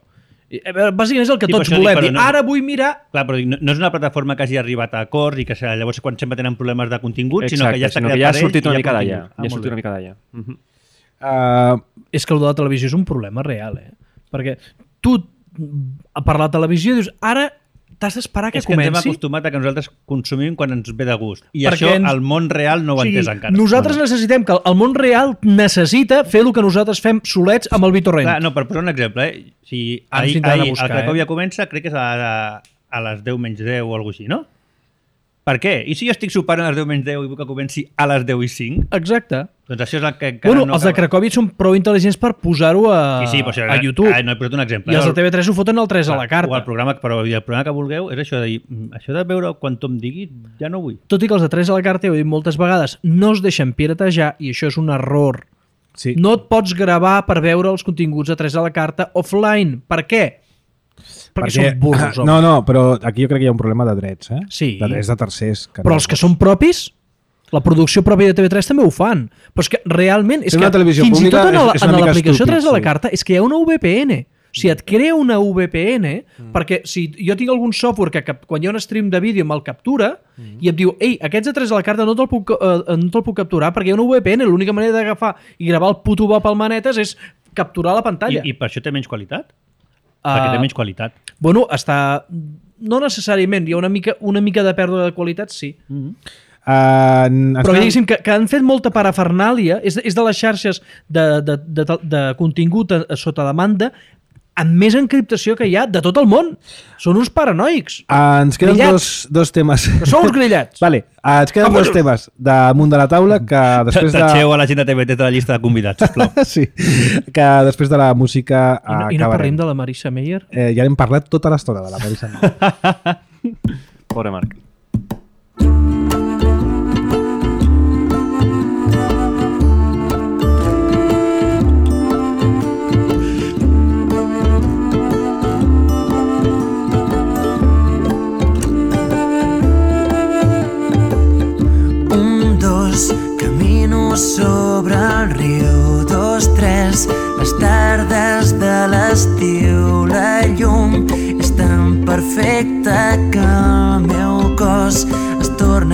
Speaker 2: I, a veure, bàsicament és el que
Speaker 4: Sí,
Speaker 2: tots
Speaker 4: però això dic,
Speaker 2: volem.
Speaker 4: però
Speaker 2: Dir,
Speaker 4: no-
Speaker 2: ara vull mirar...
Speaker 4: Clar, però dic, no, no és una plataforma que hagi arribat a acords i que se- llavors quan sempre tenen problemes de contingut,
Speaker 5: Exacte,
Speaker 4: sinó que ja està
Speaker 5: sinó
Speaker 4: creat
Speaker 5: que ja ha
Speaker 4: per ells
Speaker 5: sortit
Speaker 4: i
Speaker 5: una
Speaker 4: hi ha
Speaker 5: mica d'allà.
Speaker 4: contingut.
Speaker 5: Ja ha
Speaker 4: molt
Speaker 5: sortit
Speaker 4: bé.
Speaker 5: una mica d'allà. Uh -huh.
Speaker 1: Uh,
Speaker 2: És que el de la televisió és un problema real, eh? Perquè tu, per la televisió, dius, ara t'has d'esperar que
Speaker 4: És que ens hem
Speaker 2: comenci.
Speaker 4: acostumat a que nosaltres consumim quan ens ve de gust. I
Speaker 2: Perquè
Speaker 4: això
Speaker 2: ens-
Speaker 4: el món real no ho
Speaker 2: O
Speaker 4: ha
Speaker 2: sigui,
Speaker 4: entès encara.
Speaker 2: nosaltres necessitem que el món real necessita fer el que nosaltres fem solets amb el BitTorrent.
Speaker 4: Clar, no, per posar un exemple, eh? Si
Speaker 2: Ara ens
Speaker 4: ahir,
Speaker 2: tindran a
Speaker 4: ahir
Speaker 2: buscar,
Speaker 4: el Cracòvia
Speaker 2: eh?
Speaker 4: comença, crec que és a, a, a les deu menys deu o alguna cosa així, no? Per què? I si jo estic sopant a les deu menys deu i vull que comenci a les deu i cinc?
Speaker 2: Exacte.
Speaker 4: Doncs això és el que encara
Speaker 2: Bueno,
Speaker 4: no
Speaker 2: els de
Speaker 4: acaba.
Speaker 2: Cracòvia són prou intel·ligents per posar-ho a,
Speaker 4: Sí, sí, però, això,
Speaker 2: a YouTube.
Speaker 4: Ah, no, he posat un exemple.
Speaker 2: I els de
Speaker 4: El-
Speaker 2: T V tres ho foten al tres a la
Speaker 4: O
Speaker 2: carta.
Speaker 4: el programa, però i el programa que vulgueu és això de dir, "Mm, això de veure quan tu em diguis, ja no vull.
Speaker 2: Tot i que els de tres a la carta, ho he dit moltes vegades, no es deixen piratejar i això és un error.
Speaker 1: sí.
Speaker 2: No et pots gravar per veure els continguts de tres a la carta offline. Per què? Perquè, són burros, home.
Speaker 1: No, no, però aquí jo crec que hi ha un problema de drets, eh?
Speaker 2: Sí.
Speaker 1: De drets de tercers. Que
Speaker 2: Però
Speaker 1: no
Speaker 2: els que
Speaker 1: pots.
Speaker 2: són propis, la producció pròpia de T V tres també ho fan. Però és que realment, és
Speaker 1: Fer
Speaker 2: que
Speaker 1: una televisió
Speaker 2: fins i
Speaker 1: pública
Speaker 2: tot en, la-
Speaker 1: és- és una
Speaker 2: en
Speaker 1: mica
Speaker 2: l'aplicació
Speaker 1: estúpid,
Speaker 2: tres a la
Speaker 1: sí.
Speaker 2: carta és que hi ha una V P N. O sigui, et crea una V P N mm. perquè si jo tinc algun software que cap, quan hi ha un stream de vídeo me'l captura mm. i em diu, ei, aquests de tres a la carta no te'l puc, eh, no te'l puc capturar perquè hi ha una V P N, l'única manera d'agafar i gravar el puto web al manetes és capturar la pantalla.
Speaker 4: I, I per això té menys qualitat?
Speaker 2: Ah,
Speaker 4: Perquè té menys qualitat.
Speaker 2: Bueno, està... No necessàriament, hi ha una mica, una mica de pèrdua de qualitat, sí.
Speaker 1: Uh, ens
Speaker 2: Però
Speaker 1: queden-
Speaker 2: diguéssim que, que han fet molta parafernàlia, és, és de les xarxes de, de, de, de, de contingut a, a sota demanda amb més encriptació que hi ha de tot el món. Són uns paranoics.
Speaker 1: Uh, ens queden
Speaker 2: Grillats.
Speaker 1: dos, dos temes.
Speaker 2: Que són uns grillats.
Speaker 1: Vale, uh, ens queden dos temes damunt de la taula que després de...
Speaker 4: Tatxeu a la gent de T V T de la llista de convidats, sisplau.
Speaker 1: sí, que després de la música
Speaker 2: I no, i no parlem de la Marisa Meyer?
Speaker 1: Eh, ja hem parlat tota l'estona de la Marisa Meyer.
Speaker 5: Pobre Marc.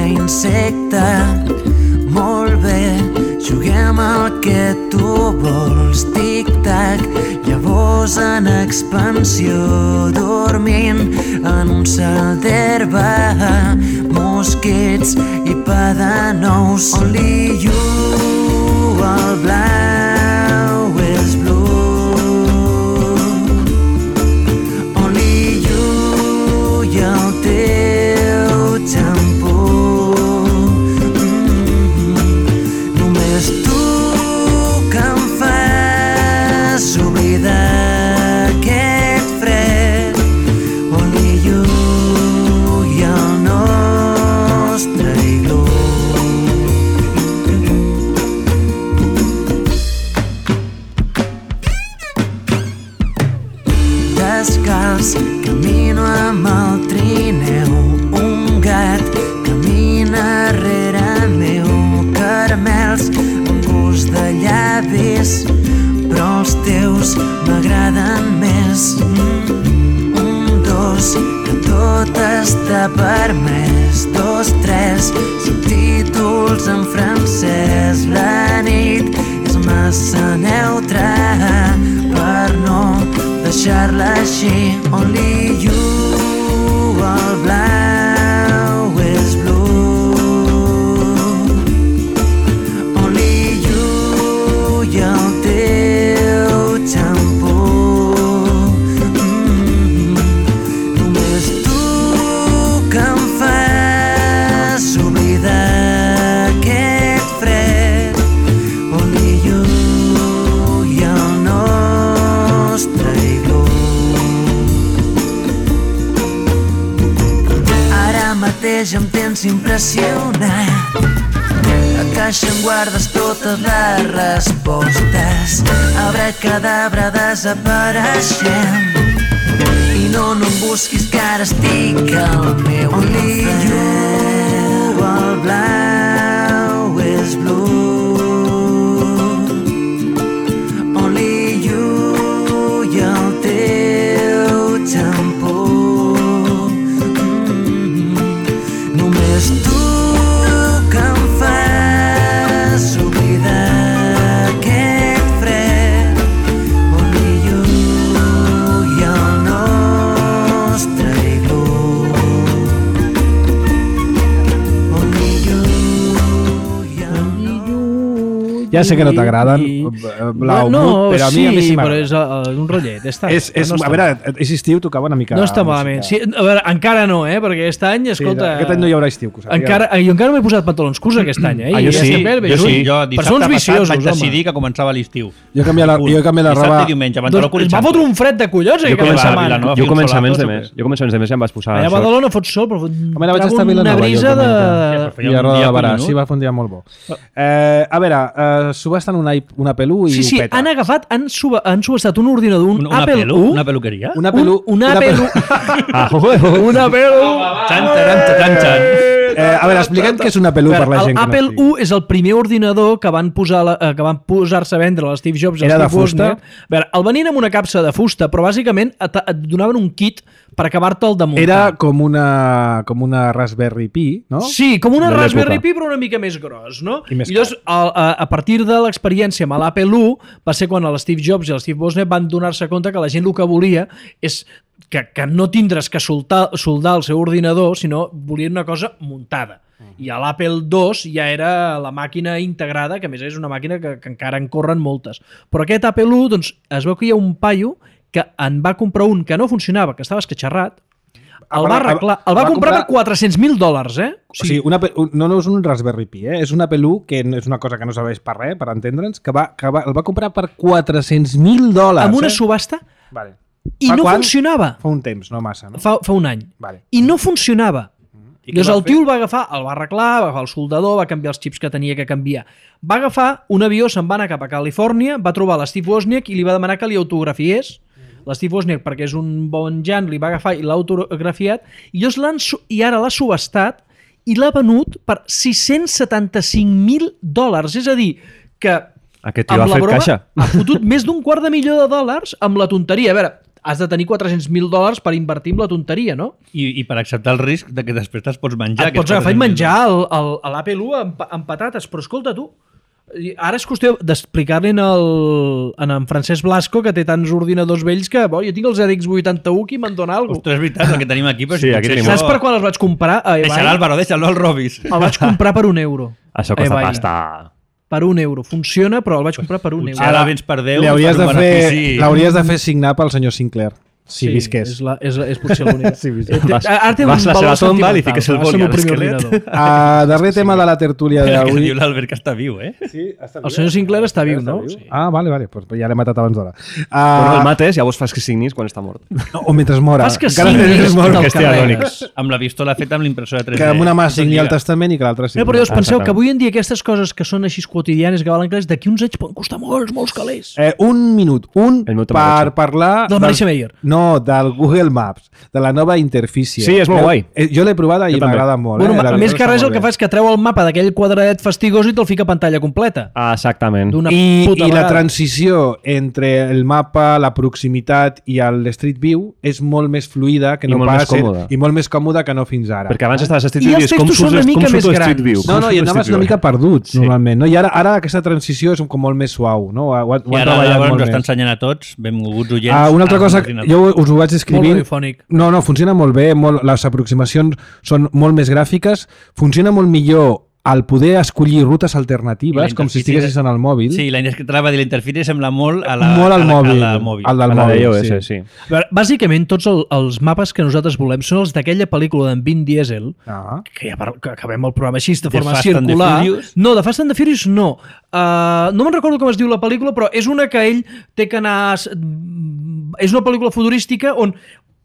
Speaker 6: insecte. Molt bé, juguem al que tu vols, tic-tac. Llavors en expansió, dormint en un cel d'herba, mosquits i pa de nous. Only you, el blau és blue. Only you i el teu xampú. D'aquest fred, only you i el nostre iglú. Descalç camino amb el trineu, un gat camina rere meu, caramels amb gust de llavis, però els teus m'agraden més. Mm, un, dos, que tot està permès. Dos, tres, subtítols en francès. La nit és massa neutra per no deixar-la així. Only you, el blau és blue. Only you i el teu xampú. Mm, només tu que em fas oblidar aquest fred. Only you i el nostre iglú. Ara mateix em tens impressionat. A caixa em guardes totes les respostes. Abracadabra desapareixent. I no, no em busquis que ara estic al meu Only you, el blau és blue. Only you i el teu xampú. Mm, només tu que em fas oblidar aquest fred. Only you i el nostre iglú. Only you i el
Speaker 1: Ja sé que no t'agraden, Blau,
Speaker 2: no,
Speaker 1: Mut, però a mi,
Speaker 2: sí,
Speaker 1: a mi sí
Speaker 2: però
Speaker 1: m'agrada.
Speaker 2: és uh, un rotllet. Està,
Speaker 1: És, és,
Speaker 2: no
Speaker 1: a
Speaker 2: està
Speaker 1: veure,
Speaker 2: mal.
Speaker 1: és estiu, tocava una mica...
Speaker 2: No està
Speaker 1: música.
Speaker 2: malament. Sí, a veure, encara no, eh? Perquè aquest any, escolta...
Speaker 1: Sí, aquest any no hi haurà estiu, que ho sàpiga.
Speaker 2: encara, jo encara no m'he posat pantalons curts aquest any, eh?
Speaker 4: Ah,
Speaker 2: I
Speaker 4: jo
Speaker 2: ja
Speaker 4: sí,
Speaker 2: estem bé, bé
Speaker 4: jo sí.
Speaker 2: juny.
Speaker 4: Jo
Speaker 2: Però
Speaker 4: dissabte
Speaker 2: són uns
Speaker 4: passat
Speaker 2: viciosos,
Speaker 4: vaig
Speaker 2: home.
Speaker 4: decidir que començava l'estiu.
Speaker 1: Jo he canviat la, jo he canviat la roba...
Speaker 4: Dissabte i diumenge, pantaló curt i
Speaker 2: Doncs va
Speaker 4: xampú.
Speaker 2: fotre un fred de collons
Speaker 5: Jo
Speaker 2: aquella
Speaker 5: començava
Speaker 2: setmana.
Speaker 4: a Vilanova.
Speaker 5: Jo
Speaker 4: Fil
Speaker 5: començaments de
Speaker 4: solados,
Speaker 5: mes. Jo començaments de mes ja em vaig posar
Speaker 2: Allà a
Speaker 5: això.
Speaker 2: Badalona fot sol, però
Speaker 1: Home, vaig estar a
Speaker 2: un
Speaker 1: Vilanova,
Speaker 2: una
Speaker 1: jo
Speaker 2: brisa de...
Speaker 1: I
Speaker 4: també.
Speaker 1: a
Speaker 4: un
Speaker 1: Roda
Speaker 4: dia
Speaker 1: de Barà,
Speaker 4: collonut.
Speaker 1: sí, va fer un dia molt bo. Eh, a veure, eh, subhasten una, una Apple u i
Speaker 2: Sí, sí,
Speaker 1: ho peta.
Speaker 2: han agafat, han, suba, han subestat un ordinador, un
Speaker 4: Un, una,
Speaker 2: Apple
Speaker 4: pelu,
Speaker 2: u,
Speaker 4: una peluqueria?
Speaker 1: Una Apple u...
Speaker 2: un, un Apple u,
Speaker 5: Ah, joder.
Speaker 2: un Apple u.
Speaker 4: Xan, taran, taran, xan.
Speaker 1: Eh, a veure, expliquem què és una Apple u per la gent que
Speaker 2: L'Apple
Speaker 1: no estigui.
Speaker 2: u és el primer ordinador que van posar la, eh, que van posar-se a vendre a Steve Jobs i
Speaker 1: Era de
Speaker 2: Steve
Speaker 1: fusta?
Speaker 2: Wozniak. A veure, el venien amb una capsa de fusta, però bàsicament et, et donaven un kit per acabar-te'l de muntar.
Speaker 1: Era com una, com una Raspberry Pi, no?
Speaker 2: Sí, com una
Speaker 5: De
Speaker 2: Raspberry
Speaker 5: l'època.
Speaker 2: Pi, però una mica més gros, no?
Speaker 1: I més
Speaker 2: I llavors, a, a, a partir de l'experiència amb l'Apple u, va ser quan el Steve Jobs i el Steve Wozniak van donar-se compte que la gent el que volia és que, que no tindres que soldar, soldar el seu ordinador, sinó volien una cosa muntada. I a l'Apple dos ja era la màquina integrada, que a més és una màquina que, que encara en corren moltes. Però aquest Apple u, doncs, es veu que hi ha un paio que en va comprar un que no funcionava, que estava esquitxarrat, el va arreglar, el va,
Speaker 1: va
Speaker 2: comprar,
Speaker 1: comprar-
Speaker 2: per quatre-cents mil dòlars, eh?
Speaker 1: O sigui, una, Apple- un- no, no és un Raspberry Pi, eh? És una Apple u, que no és una cosa que no serveix per res, per entendre'ns, que, va, que va, el va comprar per quatre-cents mil dòlars.
Speaker 2: amb una
Speaker 1: eh?
Speaker 2: subhasta
Speaker 1: Vale.
Speaker 2: i
Speaker 1: Fa
Speaker 2: no
Speaker 1: quan?
Speaker 2: funcionava.
Speaker 1: Fa un temps, no massa, no?
Speaker 2: Fa, fa un any.
Speaker 1: Vale.
Speaker 2: I no funcionava.
Speaker 1: I què
Speaker 2: Llavors
Speaker 1: va
Speaker 2: el
Speaker 1: fer?
Speaker 2: tio el va agafar, el va arreglar, va agafar el soldador, va canviar els xips que tenia que canviar. Va agafar un avió, se'n va anar cap a Califòrnia, va trobar l'Steve Wozniak i li va demanar que li autografiés. L'Steve Wozniak, perquè és un bon jan, li va agafar i l'ha autografiat, i, llavors l'han su- i ara l'ha subestat i l'ha venut per sis-cents setanta-cinc mil dòlars. És a dir, que
Speaker 5: Aquest tio
Speaker 2: amb
Speaker 5: ha
Speaker 2: la
Speaker 5: fet
Speaker 2: broma
Speaker 5: caixa.
Speaker 2: ha fotut més d'un quart de milió de dòlars amb la tonteria. A veure, has de tenir quatre-cents mil dòlars per invertir en la tonteria, no?
Speaker 4: I, I per acceptar el risc de que després te'ls pots menjar.
Speaker 2: Et pots agafar i menjar el, el, l'Apple u amb, amb patates, però escolta tu, ara és qüestió d'explicar-li en, el, en en Francesc Blasco, que té tants ordinadors vells que bo, jo tinc el Z X vuitanta-u que me'n dona alguna cosa.
Speaker 4: Ostres, és veritat, el que tenim aquí. Però
Speaker 5: Sí,
Speaker 4: si
Speaker 5: aquí
Speaker 4: potser
Speaker 5: tenim.
Speaker 2: Saps per quan els vaig comprar? A
Speaker 4: Deixa
Speaker 2: eBay?
Speaker 4: l'Àlvaro, deixa'l, no el robis.
Speaker 2: El vaig comprar per un euro.
Speaker 5: Això costa
Speaker 2: eBay.
Speaker 5: pasta.
Speaker 2: Per un euro. Funciona, però el vaig comprar per un
Speaker 4: Potser
Speaker 2: euro.
Speaker 4: ara vens per deu.
Speaker 1: Li hauries
Speaker 4: per
Speaker 1: de
Speaker 4: un
Speaker 1: fer,
Speaker 4: benefici.
Speaker 1: l'hauries de fer signar pel senyor Sinclair, si visqués.
Speaker 2: És, la, és, és potser l'única.
Speaker 1: Si visqués.
Speaker 2: Eh,
Speaker 5: Vas-
Speaker 2: ara té un
Speaker 5: vas a la
Speaker 2: valor
Speaker 5: seva tomba, li
Speaker 2: sentimental,
Speaker 5: fiques el
Speaker 2: va ser
Speaker 5: boli
Speaker 2: meu
Speaker 5: a
Speaker 2: primer
Speaker 5: l'esquelet.
Speaker 2: ordinador.
Speaker 1: Uh, darrer tema de la tertúlia
Speaker 4: El que
Speaker 1: d'avui.
Speaker 4: diu l'Albert que està viu, eh?
Speaker 1: Sí, està
Speaker 2: El senyor Sinclair està viu, no?
Speaker 1: Ah, vale, vale, pues ja l'he matat abans d'hora. Uh,
Speaker 5: Bueno, el mates, llavors fas que signis quan està mort.
Speaker 1: no, o mentre mora.
Speaker 2: Fas que
Speaker 1: Encara
Speaker 2: signis
Speaker 1: mentre mora.
Speaker 2: i te'l
Speaker 5: que estigui
Speaker 2: carregues.
Speaker 4: Amb la pistola feta amb l'impressora tres D.
Speaker 1: Que amb una mà signi el
Speaker 4: Lliga.
Speaker 1: testament i que l'altra signi.
Speaker 2: No, però us penseu que
Speaker 5: exactament.
Speaker 2: avui en dia aquestes coses que són així quotidianes que valen calés, d'aquí uns anys poden costar molts, molts calés.
Speaker 1: Eh, un minut, un
Speaker 5: El meu
Speaker 1: per
Speaker 5: Tamagotchi.
Speaker 1: parlar...
Speaker 2: Del Marisa Meyer.
Speaker 1: No, del Google Maps, de la nova interfície.
Speaker 5: Sí, és molt
Speaker 1: Eh,
Speaker 5: guai.
Speaker 1: eh, Jo l'he provada i
Speaker 5: Jo també.
Speaker 1: m'agrada molt.
Speaker 2: Bueno,
Speaker 1: eh?
Speaker 2: a
Speaker 1: La
Speaker 2: més
Speaker 1: veritat
Speaker 2: que
Speaker 1: està
Speaker 2: res el
Speaker 1: molt
Speaker 2: que
Speaker 1: bé.
Speaker 2: fa és que treu el mapa d'aquell quadradet fastigós i te'l fica a pantalla completa.
Speaker 5: Ah, exactament.
Speaker 2: D'una
Speaker 1: I,
Speaker 2: puta
Speaker 1: i la
Speaker 2: vegada.
Speaker 1: transició entre el mapa, la proximitat i el Street View és molt més fluida que
Speaker 5: I
Speaker 1: no
Speaker 5: molt
Speaker 1: pas
Speaker 5: més còmoda.
Speaker 1: i molt més còmoda que no fins ara.
Speaker 5: Perquè abans estaves a Street
Speaker 2: I
Speaker 5: View
Speaker 2: els
Speaker 5: i és com
Speaker 2: textos
Speaker 5: surt
Speaker 2: són una
Speaker 5: com
Speaker 2: mica
Speaker 5: surt
Speaker 2: més
Speaker 5: Street
Speaker 2: grans.
Speaker 5: View.
Speaker 1: No,
Speaker 5: com
Speaker 1: no,
Speaker 5: surt
Speaker 1: i
Speaker 5: Street
Speaker 1: anaves
Speaker 5: View.
Speaker 1: una mica perduts,
Speaker 5: Sí.
Speaker 1: normalment. No? I ara, ara aquesta transició és com molt més suau. No? Ho, ho, ho
Speaker 4: I
Speaker 1: han
Speaker 4: ara
Speaker 1: treballat
Speaker 4: l'Àlvaro
Speaker 1: molt
Speaker 4: ens està
Speaker 1: més.
Speaker 4: ensenyant a tots, benvolguts oients.
Speaker 1: Ah, una altra
Speaker 4: a
Speaker 1: cosa,
Speaker 4: l'ordinador.
Speaker 1: jo us ho vaig
Speaker 2: Molt
Speaker 1: escrivint.
Speaker 2: radiofònic.
Speaker 1: No, no, funciona molt bé, molt, les aproximacions són molt més gràfiques, funciona molt millor al poder escollir rutes
Speaker 4: I
Speaker 1: alternatives,
Speaker 4: la
Speaker 1: com si
Speaker 4: interfície
Speaker 1: estiguessis en el mòbil.
Speaker 4: Sí, la que t'anava a dir, la interfície sembla molt a la,
Speaker 1: molt al
Speaker 4: a la,
Speaker 1: mòbil,
Speaker 4: a la mòbil.
Speaker 1: al del
Speaker 5: A la
Speaker 1: mòbil,
Speaker 5: d'iOS,
Speaker 1: sí.
Speaker 5: sí.
Speaker 2: A veure, bàsicament, tots el, els mapes que nosaltres volem són els d'aquella pel·lícula d'en Vin Diesel,
Speaker 1: Ah.
Speaker 2: que ja par- que acabem el programa així, de
Speaker 4: The
Speaker 2: forma
Speaker 4: Fast and the
Speaker 2: circular.
Speaker 4: Furious?
Speaker 2: No, de Fast and the Furious no. Uh, no me'n recordo com es diu la pel·lícula, però és una que ell té que anar... És una pel·lícula futurística on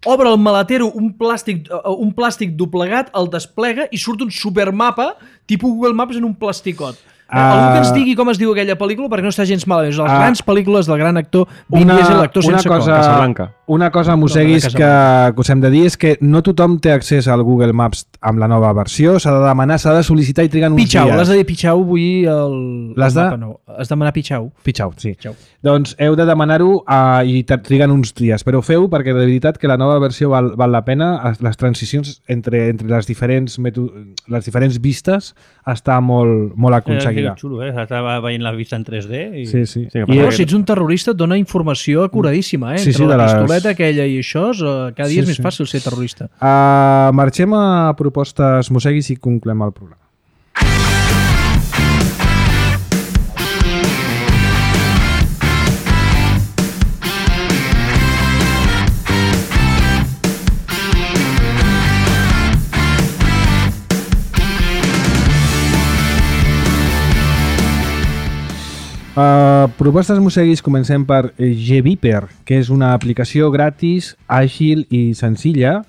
Speaker 2: obre el maletero un plàstic, uh, un plàstic doblegat, el desplega i surt un supermapa tipus Google Maps en un plasticot. Uh, Algú que ens digui com es diu aquella pel·lícula perquè no està gens malament. És les
Speaker 1: Ah.
Speaker 2: grans pel·lícules del gran actor Vin
Speaker 1: Una,
Speaker 2: Diesel, l'actor
Speaker 1: una
Speaker 2: sense cor.
Speaker 1: cosa,
Speaker 5: Casablanca.
Speaker 1: una cosa, Mosseguis,
Speaker 2: No, de
Speaker 1: que, que us hem de dir és que no tothom té accés al Google Maps amb la nova versió, s'ha de demanar, s'ha de sol·licitar i triguen uns
Speaker 2: Pitxau,
Speaker 1: dies.
Speaker 2: l'has de dir Pitxau, vull dir el,
Speaker 1: L'has
Speaker 2: el
Speaker 1: de-
Speaker 2: mapa nou. Has de demanar Pitxau.
Speaker 1: Pitxau, sí.
Speaker 2: Pitxau.
Speaker 1: Doncs heu de demanar-ho uh, i te- triguen uns dies, però ho feu perquè de veritat que la nova versió val, val la pena. Es- Les transicions entre, entre les, diferents meto- les diferents vistes està molt, molt aconseguida.
Speaker 4: És xulo, eh? Estava veient la vista en tres D. I...
Speaker 1: Sí, sí.
Speaker 5: Sí, que
Speaker 1: I,
Speaker 5: passa
Speaker 2: Però
Speaker 5: que-
Speaker 2: si ets un terrorista et dona informació acuradíssima, eh?
Speaker 1: Sí,
Speaker 2: Entre
Speaker 1: sí,
Speaker 2: la
Speaker 1: de les-
Speaker 2: pistoleta aquella i això, eh, cada dia
Speaker 1: Sí,
Speaker 2: és més
Speaker 1: sí.
Speaker 2: fàcil ser terrorista.
Speaker 1: uh, marxem a propostes Mosseguis i conclem el programa. Uh, propostes Mosseguis, comencem per Gviper, que és una aplicació gratis, àgil i senzilla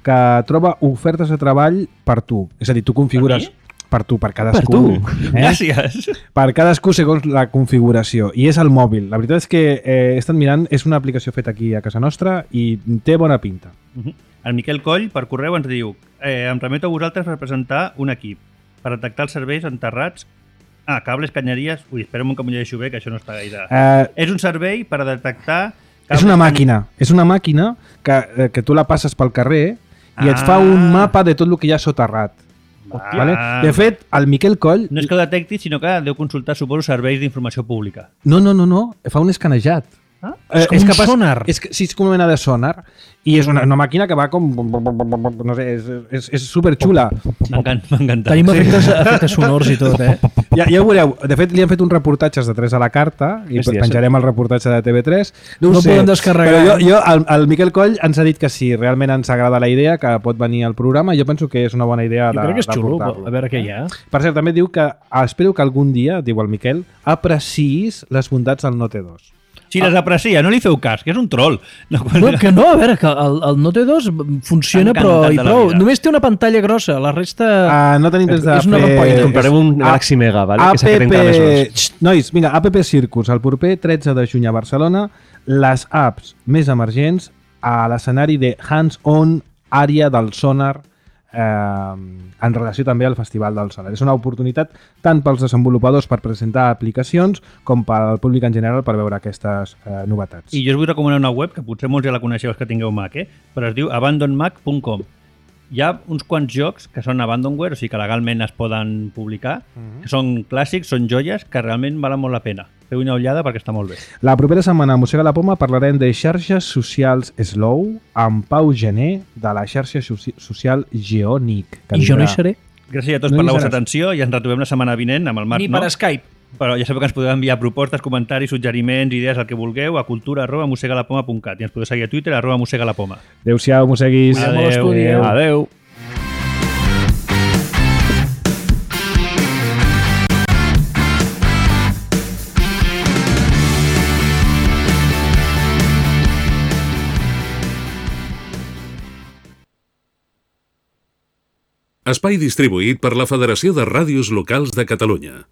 Speaker 1: que troba ofertes de treball per tu. És a dir, tu configures... Per tu, per cadascú.
Speaker 5: tu.
Speaker 1: Eh?
Speaker 4: Gràcies.
Speaker 1: Per cadascú segons la configuració. I és el mòbil. La veritat és que eh, he estat mirant, és una aplicació feta aquí a casa nostra i té bona pinta.
Speaker 4: Uh-huh. El Miquel Coll, per correu, ens diu eh, em remeto a vosaltres per presentar un equip per detectar els serveis enterrats. Ah, cables, canyeries... Ui, espera'm que m'ho llegeixo bé, que això no està gaire...
Speaker 1: Eh,
Speaker 4: És un servei per detectar...
Speaker 1: és una màquina. És una màquina que, eh, que tu la passes pel carrer i et fa un
Speaker 4: Ah.
Speaker 1: mapa de tot el que hi ha soterrat.
Speaker 4: Ah.
Speaker 1: Vale? De fet, el Miquel Coll...
Speaker 4: No és que ho detecti, sinó que deu consultar, suposo, serveis d'informació pública.
Speaker 1: No, no, no, no. Fa un escanejat.
Speaker 4: Ah?
Speaker 1: Eh,
Speaker 2: com un sonar.
Speaker 1: És, que- sí, és com una mena de sonar. I és una, una màquina que va com... No sé, és, és, és superxula.
Speaker 4: M'encanta. m'encanta.
Speaker 2: Tenim efectes, efectes sonors i tot, eh?
Speaker 1: Ja, ja ho veureu. De fet, li han fet uns reportatges de tres a la carta i
Speaker 5: Hòstia,
Speaker 1: penjarem el reportatge de T V tres.
Speaker 2: No
Speaker 1: ho
Speaker 2: el
Speaker 1: sé,
Speaker 2: podem descarregar.
Speaker 1: Però jo, jo el, el Miquel Coll ens ha dit que sí, realment ens agrada la idea, que pot venir al programa. Jo penso que és una bona idea
Speaker 2: Jo
Speaker 1: de,
Speaker 2: crec que és
Speaker 1: de
Speaker 2: xulo,
Speaker 1: portar-lo.
Speaker 2: a veure què hi ha.
Speaker 1: Per cert, també diu que ah, espero que algun dia, diu el Miquel, apreciïs les bondats del Note dos.
Speaker 4: Si les aprecia, no li feu cas, que és un troll. No,
Speaker 2: No, que no, a veure, que el, el Note dos funciona,
Speaker 4: Encantat
Speaker 2: però
Speaker 4: de
Speaker 2: i
Speaker 4: la
Speaker 2: prou.
Speaker 4: vida.
Speaker 2: Només té una pantalla grossa, la resta...
Speaker 1: Uh, no tenim temps de
Speaker 2: és una
Speaker 1: fer...
Speaker 2: rampoina.
Speaker 5: Comprarem un
Speaker 1: Ah,
Speaker 5: Galaxy Mega, vale? que s'ha fet
Speaker 1: App...
Speaker 5: encara més gros.
Speaker 1: Xxt, nois, vinga, App Circus, el proper tretze de juny a Barcelona, les apps més emergents a l'escenari de hands-on àrea del sonar eh, en relació també al Festival del Solar. És una oportunitat tant pels desenvolupadors per presentar aplicacions com pel públic en general per veure aquestes eh, novetats.
Speaker 4: I jo us vull recomanar una web, que potser molts ja la coneixeu els que tingueu Mac, eh? Però es diu abandon mac punt com. Hi ha uns quants jocs que són abandonware, o sigui que legalment es poden publicar, uh-huh. que són clàssics, són joies, que realment valen molt la pena. Feu una ullada perquè està molt bé. La
Speaker 1: propera setmana a Mossega la Poma parlarem de xarxes socials Slow amb Pau Gené de la xarxa social Geonic.
Speaker 2: I jo no hi seré.
Speaker 4: Gràcies a tots no per la vostra atenció i ens retrobem la setmana vinent amb el Marc.
Speaker 2: Ni per no? Skype.
Speaker 4: Però ja sabeu que ens podeu enviar propostes, comentaris, suggeriments, idees, el que vulgueu a cultura arroba mossegalapoma punt cat i ens podeu seguir a Twitter arroba mossegalapoma.
Speaker 1: Adéu-siau, mosseguis.
Speaker 2: Adéu.
Speaker 1: Adéu.
Speaker 5: Adéu.
Speaker 9: Espai distribuït per la Federació de Ràdios Locals de Catalunya.